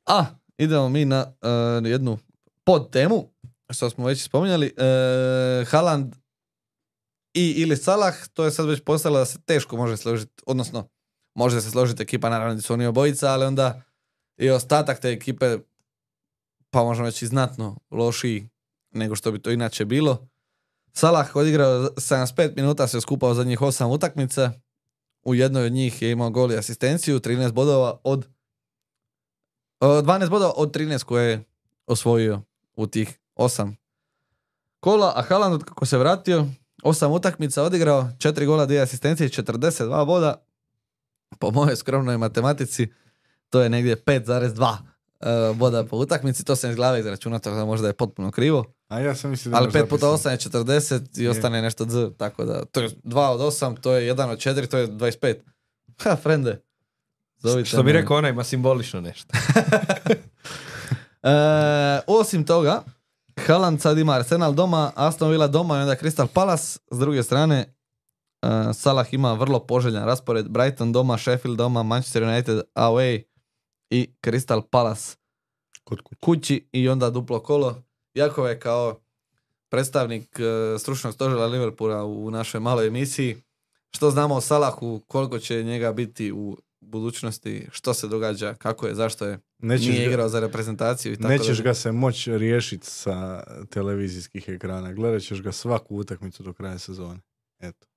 A, idemo mi na uh, jednu pod temu, što smo već spominjali. Uh, Haaland i ili Salah, to je sad već postalo da se teško može složiti, odnosno može se složiti ekipa, naravno da su oni obojica, ali onda i ostatak te ekipe, pa možemo reći znatno lošiji nego što bi to inače bilo. Salah odigrao sedamdeset pet minuta, se skupao zadnjih osam utakmica. U jednoj od njih je imao gol i asistenciju, trinaest bodova od dvanaest bodova od trinaest koje je osvojio u tih osam kola, a Haaland kako se vratio, osam utakmica odigrao, četiri gola, dvije asistencije, četrdeset dva boda. Po mojoj skromnoj matematici to je negdje pet zarez dva uh, boda po utakmici, to sam iz glave izračunao, tako da možda je potpuno krivo. A ja sam mislio da Ali imaš pet puta zapisano. osam je četrdeset i ostane nešto z, tako da to je dva od osam, to je jedan od četiri, to je dvadeset pet. Ha, frende. Zovite Što bi me. rekao ona, ima simbolično nešto. E, osim toga, Haaland sad ima Arsenal doma, Aston Villa doma i onda Crystal Palace. S druge strane, uh, Salah ima vrlo poželjan raspored. Brighton doma, Sheffield doma, Manchester United away i Crystal Palace Kod kuće. kući i onda duplo kolo. Jakov je kao predstavnik uh, stručnog stožera Liverpoola u našoj maloj emisiji. Što znamo o Salahu, koliko će njega biti u budućnosti, što se događa, kako je, zašto je, Nećeš nije ga- igrao za reprezentaciju i tako Nećeš dalje. ga se moći riješiti sa televizijskih ekrana. Gledat ćeš ga svaku utakmicu do kraja sezone. Eto.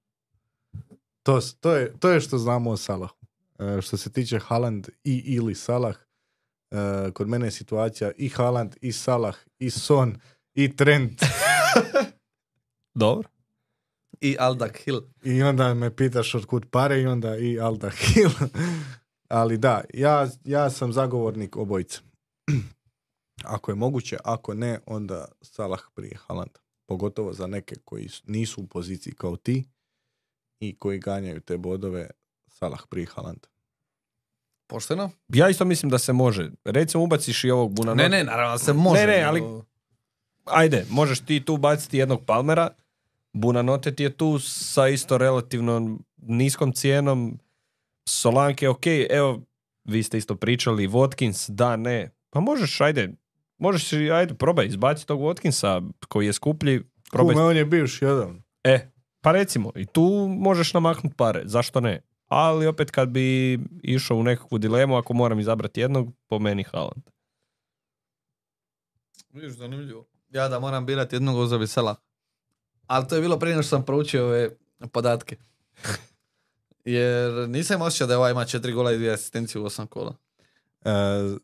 To, s- to, je, to je što znamo o Salahu. E, što se tiče Haaland i ili Salah, e, kod mene je situacija i Haaland, i Salah, i Son, i Trent. Dobro. I Aldak Hill. I onda me pitaš od kud pare i onda i Alda Hill. Ali da, ja, ja sam zagovornik obojice. Ako je moguće, ako ne, onda Salah prije Haalanda. Pogotovo za neke koji s- nisu u poziciji kao ti i koji ganjaju te bodove, Salah prije Haalanda. Pošteno? Ja isto mislim da se može. Recimo ubaciš i ovog Bunanota. Ne, ne, naravno se može. Ne, ne, ali- nego- Ajde, možeš ti tu baciti jednog Palmera. Bunanote ti je tu sa isto relativno niskom cijenom. Solanke, ok, evo, vi ste isto pričali, Watkins, da, ne. Pa možeš, ajde, možeš, ajde, probaj, izbaci tog Watkinsa koji je skuplji. Probaj. Kume, on je bivši jedan. E, pa recimo, i tu možeš namaknuti pare, zašto ne? Ali opet kad bi išao u nekakvu dilemu, ako moram izabrati jednog, po meni Haaland. Vidiš, zanimljivo. Ja da moram birati jednog uzobi Salah. Ali to je bilo prije nego što sam proučio ove podatke. Jer nisam osjećao da je ovaj ima četiri gola i dvije asistencije u osam kola. E,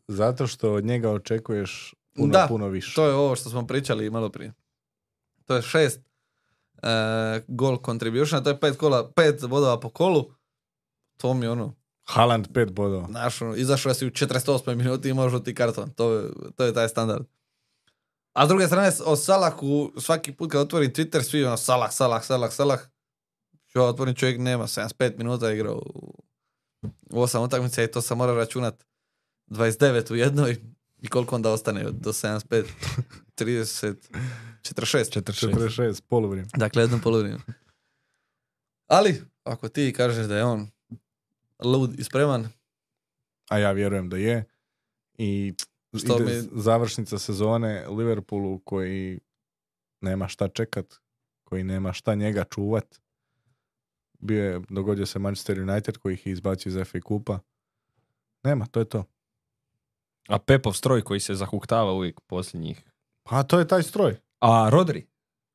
zato što od njega očekuješ puno, Da, puno više. To je ovo što smo pričali malo prije. To je šest uh, gol contribution, to je pet kola, pet bodova po kolu. To mi je ono, Haaland pet bodova. znaš, ono, izašao si u četrdeset osmoj minuti i imaš žuti karton. To je, to je taj standard. A s druge strane, o Salahu, svaki put kad otvorim Twitter, svi ono, Salah, Salah, Salah, Salah. Ja otvorim, čovjek nema, sedamdeset pet minuta igrao u, u osam utakmica i to sam mora računat dvadeset devet u jednoj i koliko onda ostane od- do sedamdeset pet, trideset, četrdeset šest. četrdeset šest, poluvrijeme. Dakle, jedno polovrijeme. Ali, ako ti kažeš da je on lud i spreman, A ja vjerujem da je. I Što ide mi- završnica sezone Liverpoolu koji nema šta čekat, koji nema šta njega čuvat. Bio je, dogodio se Manchester United koji ih je izbacio iz F A kupa. Nema, to je to. A Pepov stroj koji se zahuktava uvijek posljednjih. Pa to je taj stroj. A Rodri?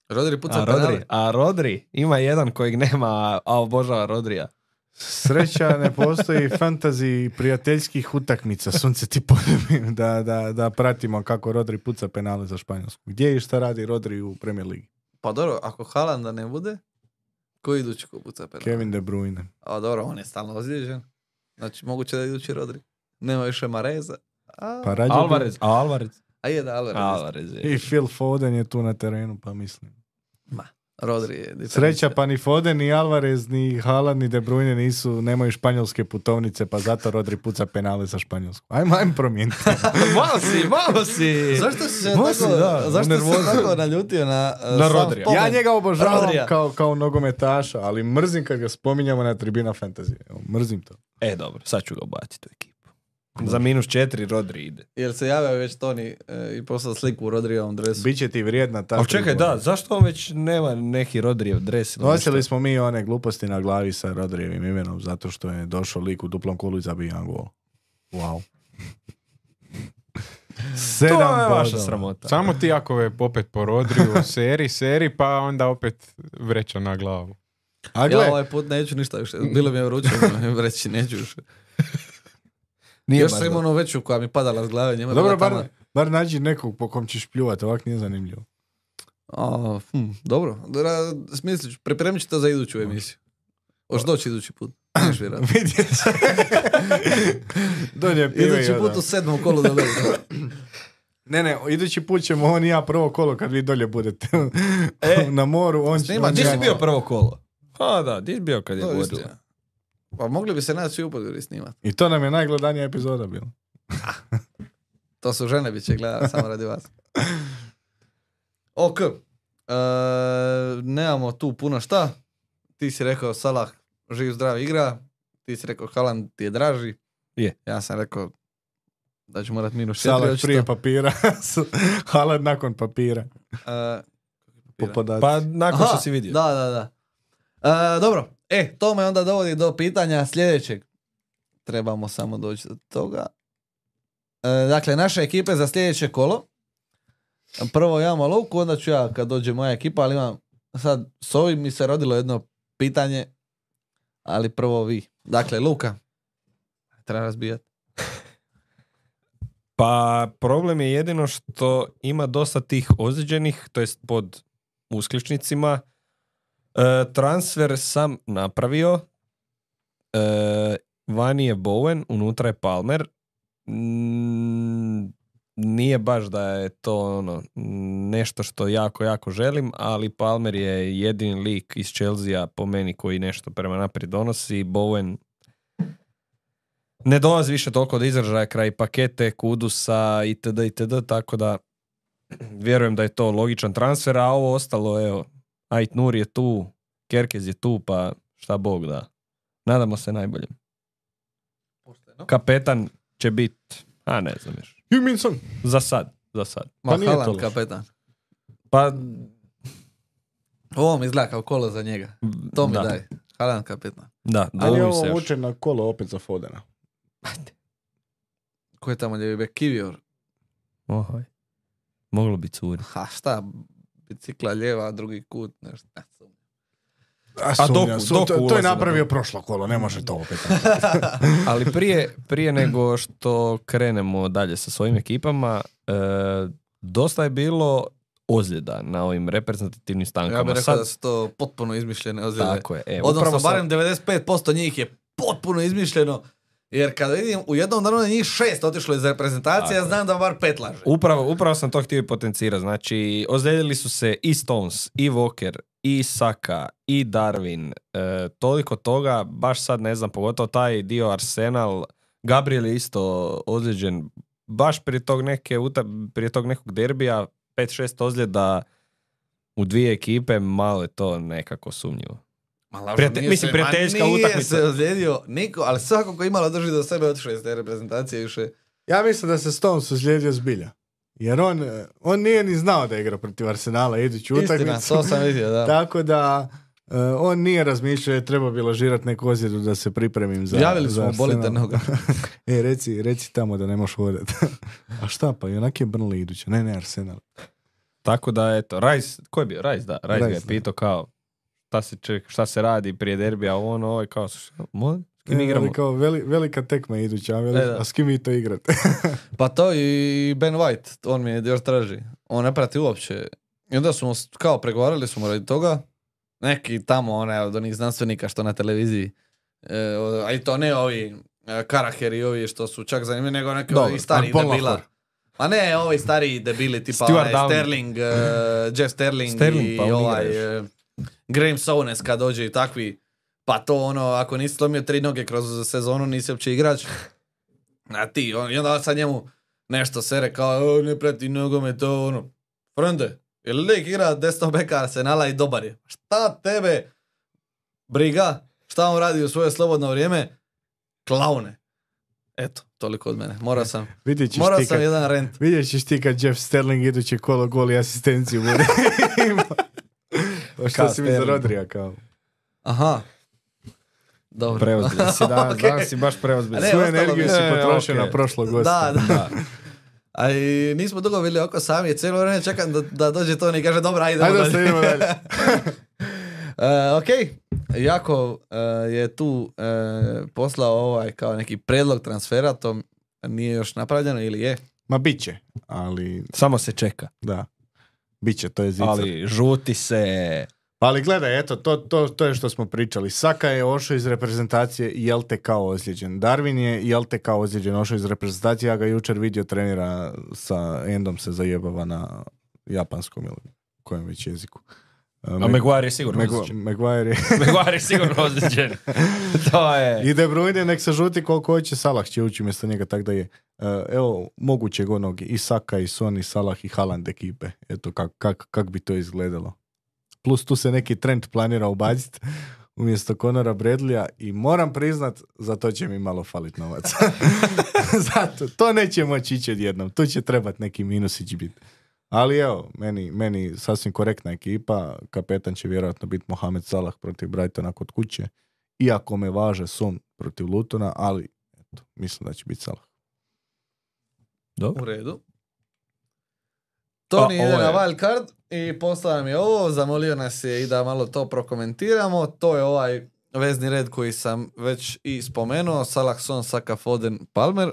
Rodri puca A penale. Rodri, a Rodri, ima jedan kojeg nema, a- a obožava Rodrija. Sreća ne postoji fantazi prijateljskih utakmica. Sunce ti poljubim da, da, da pratimo kako Rodri puca penale za Španjolsku. Gdje i šta radi Rodri u Premier Ligi? Pa dobro, ako Haalanda ne bude, ko idući ko puca penale? Kevin De Bruyne. A dobro, on je stalno ozlijeđen. Znači, moguće da je idući Rodri. Nema više Mareza. A, Pa rađe bi- Alvarez, a Alvarez? a je da, Alvarez. Alvarez je. I Phil Foden je tu na terenu, pa mislim. Ma, Rodri je diferencija. Sreća pa ni Foden, ni Alvarez, ni Haaland, ni De Bruyne nisu, nemaju španjolske putovnice, pa zato Rodri puca penale za Španjolsku. Ajmo, ajmo promijeniti. Malo si, malo si. Zašto si se Može, tako, da, zašto si se nervoza. tako naljutio na, uh, Na sam Rodrija. spomen? Ja njega obožavam Rodrija. kao, kao nogometaša, ali mrzim kad ga spominjamo na tribina fantasy. Evo, mrzim to. E, dobro, sad ću ga ubaciti u ekipu. Za minus četiri Rodri ide. Jer se javio već Toni e, i poslao sliku u Rodrijevom dresu. Biće ti vrijedna ta Ali čekaj, prigoda. da, zašto on već nema neki Rodrijev dres? ili Nosili nešto? smo mi one gluposti na glavi sa Rodrijevim imenom zato što je došao lik u duplom kolu i zabio jedan gol. Wow. Sedam To je vaša bodova. sramota. Samo ti Jakove opet po Rodriju, seri, seri, pa onda opet vreća na glavu. A Ja gle, ovaj put neću ništa više. Bilo mi je vruće reći, neću više. Nije Još baš sam imao dobro. onu veću koja mi padala s glave. Njema je dobro, bila bar, tamo. bar nađi nekog po kom ćeš pljuvati, ovak nije zanimljivo. A, hm, dobro, Ra- smislit ću, pripremit ću to za iduću emisiju. Hoš doći idući put. Neš vjerojatno. Vidjet će. Donje pive i Idući onda. put u sedmom kolu da vidi. Ne, ne, idući put ćemo on i ja prvo kolo kad vi dolje budete E, na moru. On će, snima, on Gdje će- si bio prvo kolo? A da, gdje si bio kad je To je govorila? istina. Pa mogli bi se naći u Podgori snimati. I to nam je najgledanija epizoda bila. To su žene bit će gledati samo radi vas. Ok. E, nemamo tu puno šta. Ti si rekao Salah živ zdrav igra. Ti si rekao Haaland ti je draži. Je. Ja sam rekao da ću morat minus četiri. Salah očito. prije papira. Haaland nakon papira. E, Po podacima. Pa nakon aha, što si vidio. Da, da, da. E, dobro. E, to me onda dovodi do pitanja sljedećeg. Trebamo samo doći do toga. E, dakle, naše ekipe za sljedeće kolo. Prvo ja imam Lovku, onda ću ja kad dođe moja ekipa, ali imam sad s ovim mi se rodilo jedno pitanje, ali prvo vi. Dakle, Luka, treba razbijati. Pa problem je jedino što ima dosta tih ozlijeđenih, to jest pod uskličnicima. E, transfer sam napravio. E, vani je Bowen, unutra je Palmer. Mm, nije baš da je to ono nešto što jako, jako želim, ali Palmer je jedini lik iz Chelsea po meni koji nešto prema naprijed donosi. Bowen ne dolazi više toliko do izražaja kraj pakete, Kudusa itd. itd. Tako da vjerujem da je to logičan transfer, a ovo ostalo, evo, Ait Nur je tu, Kerkez je tu, pa šta Bog da. Nadamo se najboljem. Kapetan će biti, a ne znam još. Huminson. Za sad, za sad. Ma, Pa nije to Haaland loše. kapetan. Pa, Ovo mi izgleda kao kolo za njega. To mi da, daj. Haaland kapetan. Da, Ali dovolim se ovo još. vuče na kolo opet za Fodena. Ko je tamo ljevi bek? Kivior. Ohoj. Moglo bi curi. Ha, šta? Bicikla ljeva, drugi kut, nešto. Ne, sumnjam. A, A sumnjam, Doku- su- Doku to, to ulazi je na napravio prošlo kolo, ne može to opet. Ali prije, prije nego što krenemo dalje sa svojim ekipama, e, dosta je bilo ozljeda na ovim reprezentativnim stankama. Ja bih rekao Sad, da su to potpuno izmišljene ozljede. tako je. E, Odnosno, upravo sam- barem devedeset pet posto njih je potpuno izmišljeno. Jer kada vidim u jednom danu da njih šest otišlo iz reprezentacije, Tako ja je. znam da bar pet laže. Upravo, upravo sam to htio i potencirati. Znači, ozlijedili su se i Stones, i Walker, i Saka, i Darwin. E, toliko toga, baš sad ne znam, pogotovo taj dio Arsenal. Gabriel je isto ozlijeđen. Baš prije tog, neke, uta- prije tog nekog derbija, pet šest ozljeda u dvije ekipe, malo je to nekako sumnjivo. Ma, lažno, Prijate- nije mislim, se- prijateljska ma nije utakmica. se ozlijedio niko, ali svako ko imalo drži do sebe otišao iz te reprezentacije više. Ja mislim da se Stones uzlijedio zbilja. Jer on, eh, on nije ni znao da igra protiv Arsenala iduću Istina, utakmicu. to sam vidio, da. Tako da eh, on nije razmišljao, je treba bilo žirati neku ozljedu da se pripremim za, Javili za smo mu bolite Arsenal. noga. E, reci, reci tamo da ne možeš hodati. A šta pa, i onak je Burnley iduća. Ne, ne, Arsenal. Tako da, eto, Rice, ko je bio? Rice, da. Rice, ga je Rice, da. pitao kao šta se, ček, šta se radi prije derbija, ovo ono, ovo je kao, mo, s kim E, igramo? ali kao veli, velika tekma iduća, a, veli, E, da. a s kim vi to igrate? Pa to i Ben White, on mi je još traži. On ne prati uopće. I onda smo s- kao pregovarali smo radi toga. Neki tamo, onaj od onih znanstvenika što na televiziji. E, o- a i to ne ovi e, Karaher i ovi što su čak zanimljivi, nego neki Dobro, ovi stari Paul debila. Lahore. A ne, ovi stari debili, tipa Stuart onaj Downey. Sterling, e, Jeff Sterling, Sterling, i pa on igra ovaj još. e, Graham Souness kad dođe i takvi. Pa to ono, ako nisi slomio tri noge kroz sezonu, nisi uopće igrač. A ti, on, i onda sad njemu nešto sere kao, "O, ne prati nogomet, to ono. Frende, je li lik igra desno beka Arsenala i dobar je? Šta tebe briga? Šta on radi u svoje slobodno vrijeme? Klaune. Eto, toliko od mene. Morao sam, Vidjet ćeš morao ti sam kad, jedan rent. vidjet ćeš ti kad Jeff Sterling iduće kolo gol i asistenciju bude imao. Pa što Kao si mi za Sterling. Rodrija kao? Aha. Dobro. Preozbiljan si, da, Ok. danas si baš preozbiljan. A ne, Svu ostalo energiju mi- si E, potrošio ok. na prošlog gosta. Da, da. A i nismo dugo bili oko sami, cijelo vrijeme čekam da, da dođe Toni i kaže, dobra, idemo Ajde da dalje. se idemo dalje. E, ok, Jako e, je tu e, poslao ovaj kao neki predlog transfera, to nije još napravljeno ili je? Ma bit će, ali Samo se čeka. da. Bit će, to je zicar. Ali žuti se. Ali gledaj, eto, to, to, to je što smo pričali. Saka je ošao iz reprezentacije i L T K ozlijeđen. Darwin je i L T K ozlijeđen, ošao iz reprezentacije. Ja ga jučer vidio trenira sa Endom se zajebava na japanskom ili kojem već jeziku. A Maguire je sigurno Magu- ozlijeđen. Maguire je... Maguire je sigurno ozlijeđen. To je... I De Bruyne nek se žuti koliko hoće, Salah će ući umjesto njega, tak da je. Uh, evo, mogućeg onog i Saka, i Son, i Salah, i Haaland ekipe. Eto, kak, kak, kak bi to izgledalo. Plus tu se neki trend planira ubaciti umjesto Conora Bradleya i moram priznat, za to će mi malo falit novac. Zato, to neće moći ići odjednom. Tu će trebat neki minusić biti. Ali evo, meni, meni sasvim korektna ekipa. Kapetan će vjerojatno biti Mohamed Salah protiv Brightona kod kuće. Iako me važe Son protiv Lutona, ali eto, mislim da će biti Salah. Dobro. U redu. Toni A, ide ovo na je- wild card i poslao nam je ovo, zamolio nas je i da malo to prokomentiramo. To je ovaj vezni red koji sam već i spomenuo. Salah, Son, Saka, Foden, Palmer.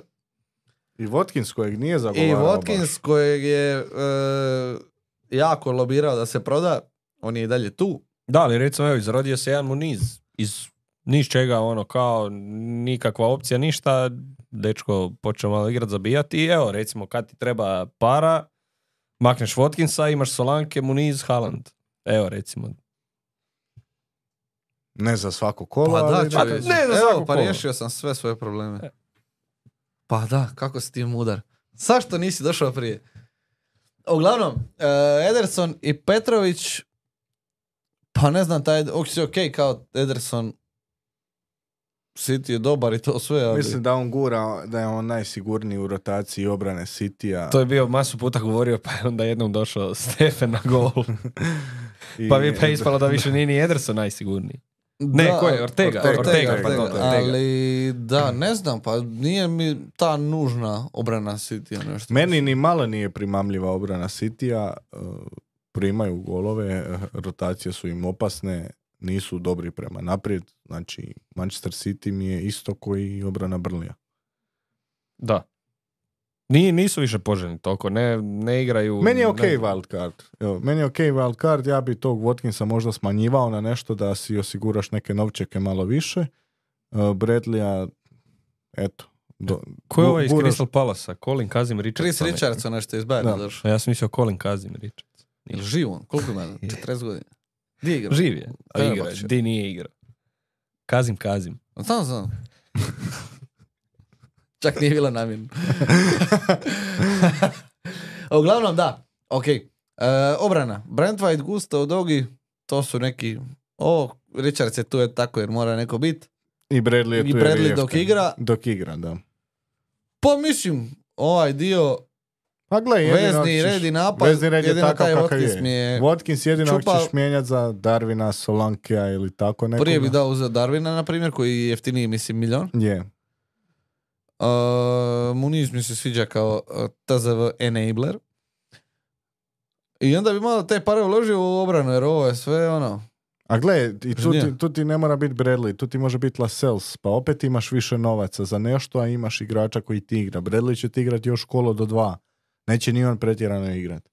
I Watkins kojeg nije I zagovarao Watkins baš. kojeg je e, jako lobirao da se proda. On je i dalje tu. Da, ali recimo, evo, izrodio se jedan Muniz iz niš čega, ono, kao nikakva opcija, ništa, dečko počeo malo igrat, zabijati i evo, recimo, kad ti treba para, makneš Watkinsa, imaš Solanke, Muniz, Haaland. Evo, recimo. Ne za svako kolo, Pa da, ali čovječe. ne za Evo, svako pa kolo. riješio sam sve svoje probleme. Pa da, kako si ti mudar. Zašto nisi došao prije? Uglavnom, uh, Ederson i Petrović, pa ne znam, taj, ok, ok, kao Ederson, City je dobar i to sve, ali... mislim da on gura, da je on najsigurniji u rotaciji obrane Citya. To je bio masu puta govorio, pa je onda jednom došao Stefen na gol. I- Pa mi pa je ispalo da više nije ni Ederson najsigurniji. Ne, Da, ko je? Ortega, Ortega, pardon, Ortega. Ali da, ne znam, pa nije mi ta nužna obrana City nešto. Meni ni malo nije primamljiva obrana Citya. uh, Primaju golove, uh, rotacije su im opasne, nisu dobri prema naprijed. Znači, Manchester City mi je isto koji obrana Brlija. Da. Ni, nisu više poželjni toliko, ne, ne igraju... Meni je ok ne- wild card. Evo, meni je ok wild card, ja bi tog Watkinsa možda smanjivao na nešto da si osiguraš neke novčeke malo više. Uh, Bradleya, eto. Do, Ko je ovaj iz guraš- Crystal Palasa? Colin Kazim Richardson. Chris Richardson nešto iz Bayerna Da. došao. A ja sam mislio Colin Kazim Richardson. Ili živ on? Koliko ima? četrdeset godina. Gdje igra? Živ je, a Kada igra, baš je? di nije igrao. Kazim Kazim. Znam, znam. Čak nije bilo namjerno. Uglavnom, da. Ok. E, obrana. Brent White, Gusto, Dogi, to su neki... O, Richards je tu je tako jer mora neko biti. I Bradley je tu I jer je Bradley dok jeftin. igra. Dok igra, da. Pa mislim, ovaj dio Pa gle, jedino vezni ćeš- red i napad, vezni red je jedino takav taj kakav Watkins je. mi je... Watkins jedino čupa- ćeš mijenjati za Darwina, Solankea ili tako nekoga. Prije bi dao uzeo Darwina, na primjer, koji je jeftiniji, mislim, milion. Je. Uh, Muniz mi se sviđa kao uh, T Z V enabler. I onda bi malo te pare uložio u obranu, jer ovo je sve ono... A gle, i tu Nije. ti, tu ti ne mora biti Bradley, tu ti može biti Lascelles, pa opet imaš više novaca za nešto, a imaš igrača koji ti igra. Bradley će ti igrati još kolo do dva. Neće ni on pretjerano igrati.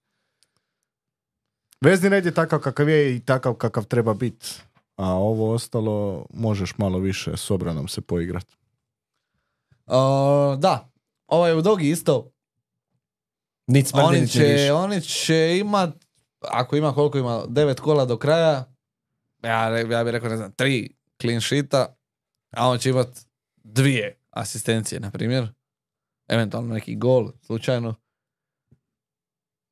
Vezni red je takav kakav je i takav kakav treba biti. A ovo ostalo možeš malo više s obranom se poigrati. Uh, da, ovaj u Dogi isto. Nic smrdi, Oni nic će, miriši. oni će imat, ako ima koliko ima, devet kola do kraja, ja, re- ja bih rekao, ne znam, tri clean sheeta, a on će imat dvije asistencije, na primjer. Eventualno neki gol, slučajno.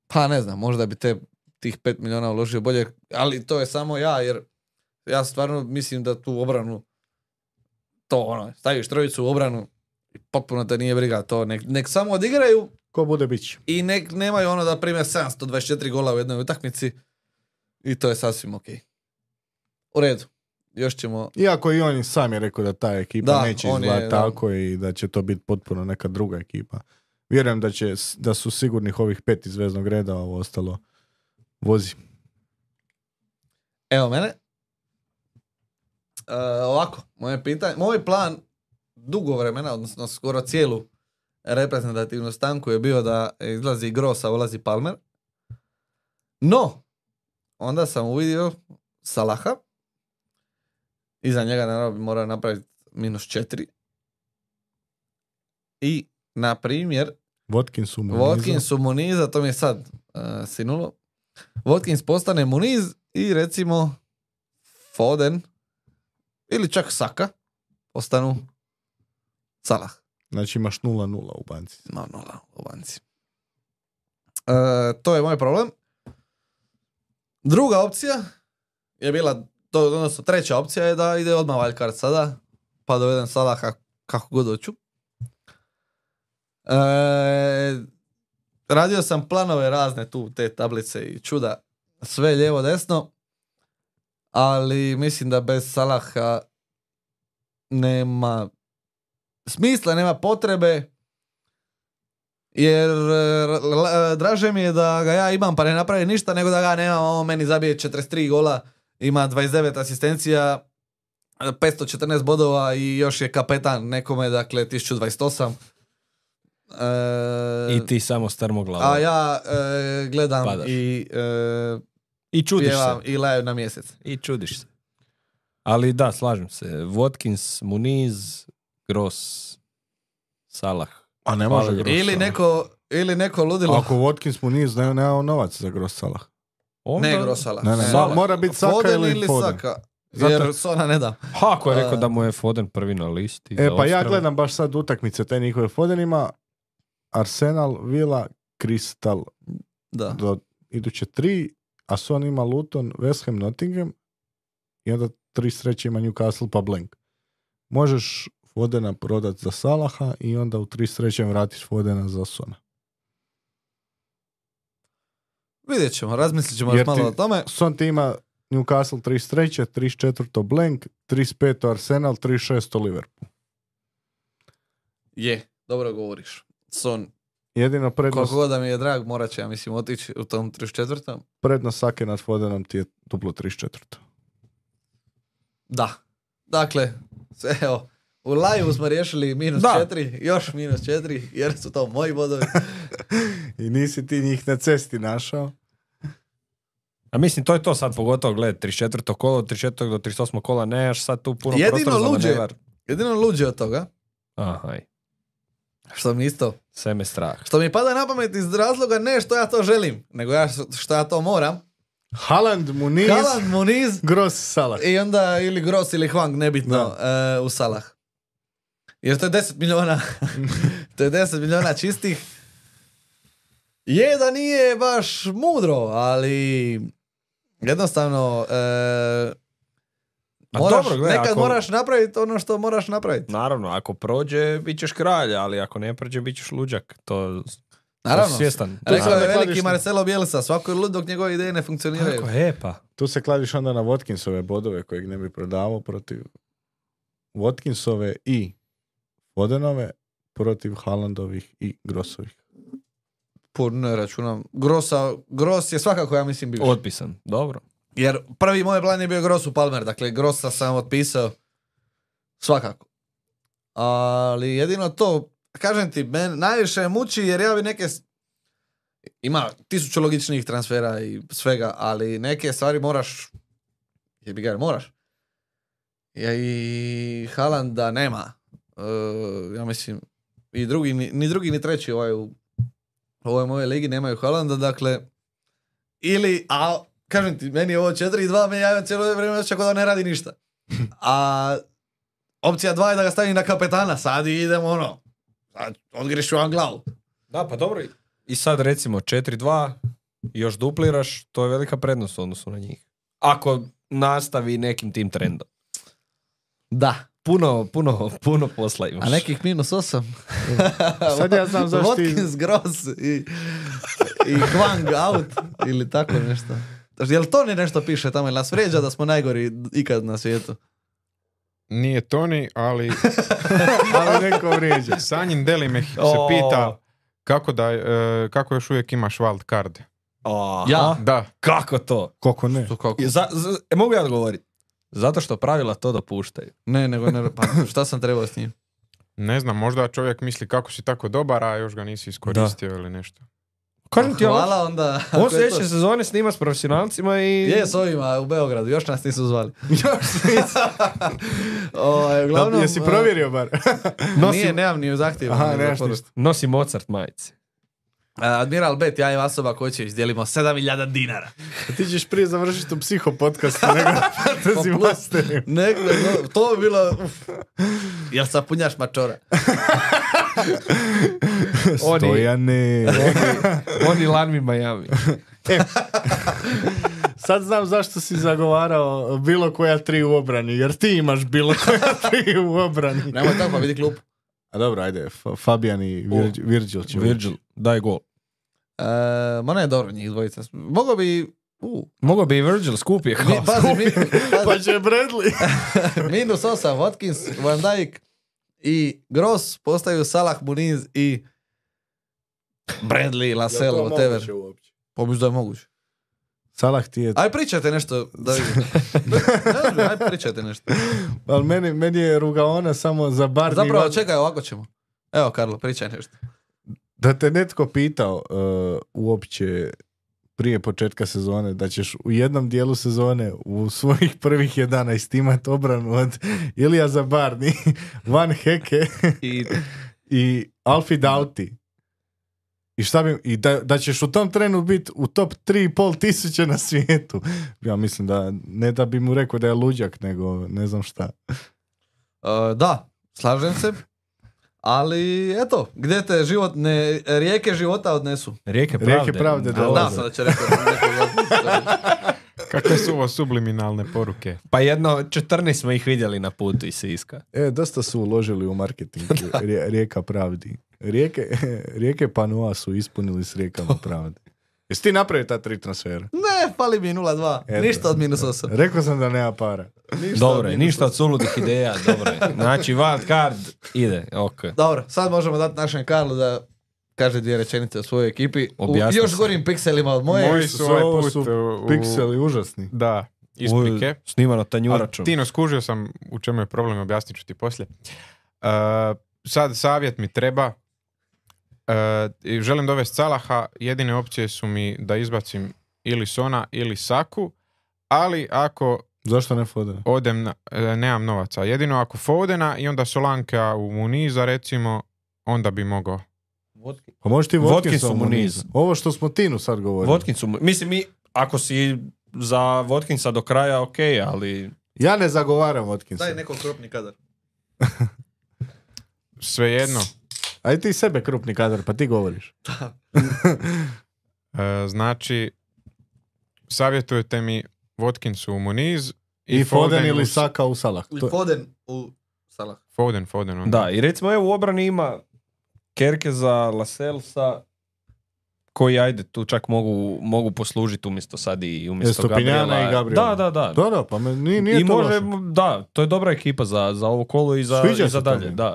Pa ne znam, možda bi te tih pet milijuna uložio bolje, ali to je samo ja, jer ja stvarno mislim da tu obranu, to ono, staviš trojicu u obranu i potpuno te nije briga to, nek, nek samo odigraju Ko bude bit će. i nek nemaju ono da prime sedamsto dvadeset četiri gola u jednoj utakmici i to je sasvim ok. U redu. Još ćemo... Iako i on sam je rekao da ta ekipa Da, neće on je, izgledati da. tako i da će to biti potpuno neka druga ekipa. Vjerujem da, će, da su sigurnih ovih pet iz veznog reda, a ovo ostalo vozi. Evo mene. E, ovako, moje pitanje, moj plan dugo vremena, odnosno skoro cijelu reprezentativnu stanku je bio da izlazi Gross, a ulazi Palmer. No, onda sam uvidio Salaha. Iza njega naravno mora napraviti minus četiri. I, na primjer, Watkinsu Muniza. Watkinsu Muniza, to mi je sad uh, sinulo. Watkins postane Muniz i recimo Foden ili čak Saka postanu Salah. Znači imaš nula nula u banci. No, nula u banci. Uh, to je moj problem. Druga opcija je bila, to, odnosno treća opcija je da ide odmah wildcard sada, pa dovedem Salaha kako god hoću. E, radio sam planove razne tu, te tablice i čuda, sve lijevo desno, ali mislim da bez Salaha nema smisla, nema potrebe, jer draže mi je da ga ja imam pa ne napravi ništa, nego da ga nemam, on meni zabije četrdeset tri gola, ima dvadeset devet asistencija, petsto četrnaest bodova i još je kapetan nekome, dakle tisuću dvadeset osam. E, I ti samo strmoglavo. a ja e, gledam Padaš. i e, I čudiš pjevam se. i laju na mjesec. I čudiš se. Ali da, slažem se. Watkins, Muniz, Gross, Salah. A ne Hvala može lijepo. Gross Ili Salah. neko, ili neko ludilo. Ako Watkins Muniz ne, nema novac za Gross Salah. Onda... Ne Grossala. Ne, ne, Salah. mora biti Saka Foden ili Foden. Saka. Zato- Jer Sona ne da. Ha, ako je rekao A- da mu je Foden prvi na listi. E, za pa ja odstrel. gledam baš sad utakmice te njihove Fodenima. Arsenal, Villa, Crystal Da. do iduće tri, a Son ima Luton, West Ham, Nottingham i onda tri sreće ima Newcastle pa blank. Možeš Fodena prodat za Salaha i onda u tri sreće vratiš Fodena za Sona. Vidjet ćemo, razmislit ćemo Jer još malo ti- o tome. Son ti ima Newcastle trideset tri, trideset četiri blank, trideset pet Arsenal, trideset šest Liverpool. Je, dobro govoriš. Son, Jedino prednost, koliko god da mi je drag, morat će, ja mislim, otići u tom trideset četvrtom. prednost Sake nad Fodenom ti je duplo trideset četiri. Da. Dakle, sve, evo, u live smo riješili minus Da. četiri, još minus četiri, jer su to moji bodovi. I nisi ti njih na cesti našao. A mislim, to je to sad, pogotovo gled, trideset četvrto kolo, od trideset četvrtog do trideset osmog kola, nemaš sad tu puno Jedino prostora za luđe. manevar. Jedino luđe od toga, Aha, aj, što mi isto, sve me strah. što mi pada na pamet iz razloga ne što ja to želim, nego ja što ja to moram. Haaland, Muniz, Haaland, Muniz, Gross, Salah. i onda ili Gross ili Hwang, nebitno, e, u Salah. Jer to je deset milijuna. To je deset milijuna čistih. Je da nije baš mudro, ali jednostavno e, A moraš, dobro, gledaj, nekad ako- moraš napraviti ono što moraš napraviti. Naravno, ako prođe, bit ćeš kralj, ali ako ne prođe, bit ćeš luđak. To, Naravno. to svjestan. Rekao sad je ne veliki kladiš- Marcelo Bielsa, svako je lud dok njegove ideje ne funkcioniraju. Kako je, pa? Tu se kladiš onda na Watkinsove bodove kojeg ne bi prodavao protiv Watkinsove i Fodenove protiv Haalandovih i Grossovih. Po, ne računam. Grossa, Gross je svakako, ja mislim, bio. Otpisan. Dobro. Jer prvi moj plan je bio Gross u Palmer, dakle Grossa sam otpisao svakako. Ali jedino to, kažem ti, men najviše muči jer ja bi neke, s- ima tisuću logičnih transfera i svega, ali neke stvari moraš, jebi ga, moraš. Ja i Haalanda nema. E, ja mislim, i drugi, ni, ni drugi ni treći ovaj u ovoj moje ligi nemaju Haalanda, dakle, ili, a kažem ti, meni je ovo četiri dva, me ja imam cijelo vrijeme osjećaj kao da ne radi ništa. A opcija dva je da ga stavim na kapetana, sad idemo ono, sad odgrišu vam glavu. Da, pa dobro. I sad recimo četiri dva, još dupliraš, to je velika prednost u odnosu na njih. Ako nastavi nekim tim trendom. Da. Puno, puno, puno posla imaš. A nekih minus osam. Sad ja znam zašto ti- Watkins, Gross i, i Hwang out ili tako nešto. Znači, jel to ne nešto piše tamo, jel nas vrijeđa da smo najgori ikad na svijetu? Nije Toni, ali Ali neko vrijeđa. Sanjin Deli me se O. pita kako, da, e, kako još uvijek imaš wild card. Aha. Ja? Da, Kako to? Koliko ne? To kako? I Za, za, e, mogu ja odgovoriti? Zato što pravila to dopuštaju. Ne, nego ne, pa šta sam trebao s njim? ne znam, možda čovjek misli kako si tako dobar, a još ga nisi iskoristio ili nešto. Kažem ti, Hvala onda. on ako je sljedeće to- sezone snima s profesionalcima i... Je s ovima u Beogradu, još nas nisu zvali. Još nisam. Ovaj, Da, uglavnom, jesi provjerio bar? Nosi, Nije, nemam ni u zahtjevu. Aha, ni nemaš za ništa. nosi Mozart majice. Admiral Bet, ja i osoba koju će izdijelimo sedam hiljada dinara. Ti ćeš prije završiti u psiho podcastu nego fantasy plus. masterima. Nek, no, to bi bilo... Uf. Jel sapunjaš mačora? Oni, Stojane. oni Lanmi Miami. Sad znam zašto si zagovarao bilo koja tri u obrani, jer ti imaš bilo koja tri u obrani. Nemoj tako, pa vidi klub. A dobro, ajde, F- Fabian i Virgil, Virgil će Virgil, daj gol. E, ma ne, dobro, njih dvojica. Mogao bi... Uh. Mogao bi i Virgil, skup je Mi, kao. pazi, mi, Pa pazi, će Bradley. minus osam, Watkins, Van Dijk i Gross postaju Salah, Muniz i Bradley, Lascelles, whatever. Pomisli da je moguće. Salah ti je... Aj pričajte nešto, da vidim. Ne znam, aj pričajte nešto. Ali meni, meni je rugaona samo za bar Zapravo, nivo- čekaj, ovako ćemo. Evo, Karlo, pričaj nešto. Da te netko pitao uh, uopće prije početka sezone da ćeš u jednom dijelu sezone u svojih prvih jedanaest imat obranu od Ilija Zabarni, Van Heke I i Alfie Doughty. I šta bi, i da, da ćeš u tom trenu biti u top tri i pol tisuće na svijetu. Ja mislim da, ne da bi mu rekao da je luđak, nego ne znam šta. Uh, da, slažem se. Ali, eto, gdje te životne, rijeke života odnesu. Rijeke pravde. Rijeke pravde Da, dolaze. sam da će rekao neko. Kakve su ovo subliminalne poruke? Pa jedno četrnaest smo ih vidjeli na putu iz Siska. E, dosta su uložili u marketing Rije- Rijeka pravdi. Rijeke, rijeke Panoa su ispunili s rijekama pravdi. Jesi ti napravio ta tri transfera? Ne, fali mi nula dva. Eto. Ništa od minus osam. Rekao sam da nema para. Ništa Dobro od je, minus ništa osam. od suludih ideja, dobro je. Znači, wild card ide, ok. Dobro, sad možemo dati našem Karlu da kaže dvije rečenice o svojoj ekipi. U Objasni još se. gorim pikselima od moje. Moji su ovaj Ovo put su u- u- Pikseli užasni. Da, iz Ovo Pike. je Snimano Ali tanjuračom. Tino, skužio sam u čemu je problem, objasnit ću ti poslije. Uh, sad savjet mi treba. Uh, i želim dovesti Salaha, jedine opcije su mi da izbacim ili Sona ili Saku, ali ako Zašto ne Foden? odem na, e, nemam novaca. Jedino ako Fodena i onda Solanka u Muniza recimo, onda bi mogao. Pa možeš ti Watkinsu Watkinsu mu mu niz. niz. Ovo što smo Tinu sad govorili. Watkinsu, mislim mi, ako si za Watkinsa do kraja, ok, ali... Ja ne zagovaram Watkinsa. Daj neko krupni kadar. Svejedno. Aj ti sebe krupni kadar, pa ti govoriš. E, znači, savjetujete mi Watkinsu u Muniz I, Foden, u- ili Saka u Salah. I To, Foden u Salah. Foden, Foden. onda. Da, i recimo evo u obrani ima Kerkeza, Lascellesa, koji ajde tu čak mogu, mogu poslužiti umjesto sad i umjesto Stupinjana Gabriela. i Gabriela. Da, da, da. da, da, pa me, nije, nije I to može, loše. da, to je dobra ekipa za, za ovo kolo i za, Sviđa i se za to dalje. meni. Da.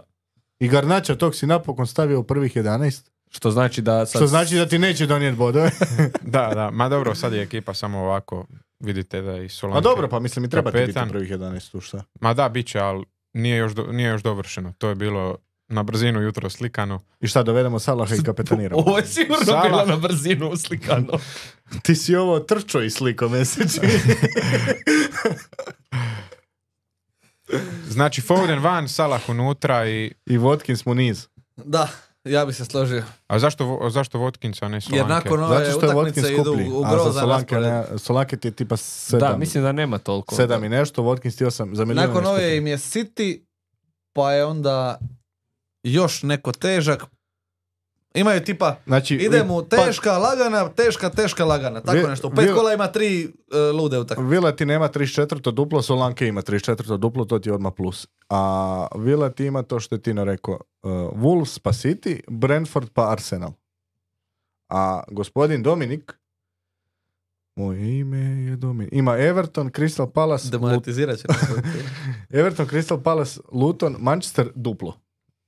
I Garnača tog si napokon stavio u prvih jedanaest. Što znači da sad... Što znači da ti neće donijeti bodove. Da, da, ma dobro, sad je ekipa samo ovako, vidite da i Solanke. A dobro, pa mislim i treba ti biti u kapetan. prvih jedanaest, tu šta. Ma da, bit će, ali nije još, do, nije još dovršeno. To je bilo na brzinu jutro slikano. I šta, dovedemo Salaha i kapetaniramo. Ovo je sigurno Salah. bilo na brzinu uslikano. Ti si ovo trčo i sliko meseči. Znači, Foden van, Salah unutra i... I Watkins mu niz. Da, ja bi se složio. A zašto, Vo- zašto Watkinsa, a ne Solanke? Jer nakon ove Zato što je utakmice Watkins idu skuplji. u A za grozan Solanke, raspored. ne, Solanke ti je tipa sedam. Da, mislim da nema toliko. Sedam i nešto, Watkins ti osam. Za milijun Nakon je ove skuplji. im je City, pa je onda još neko težak. Imaju tipa, Znači, ide mu pa- teška, lagana, teška, teška, lagana. Tako Vi- nešto. U pet vi- kola ima tri uh, lude utakmice. Vila ti nema trideset četiri duplo, Solanke ima trideset četiri duplo, to ti je odmah plus. A Vila ti ima to što je Tino rekao. Uh, Wolves pa City, Brentford pa Arsenal. A gospodin Dominik, moje ime je Dominik, ima Everton, Crystal Palace, Lut- Demonetizirat će. nas. Everton, Crystal Palace, Luton, Manchester duplo.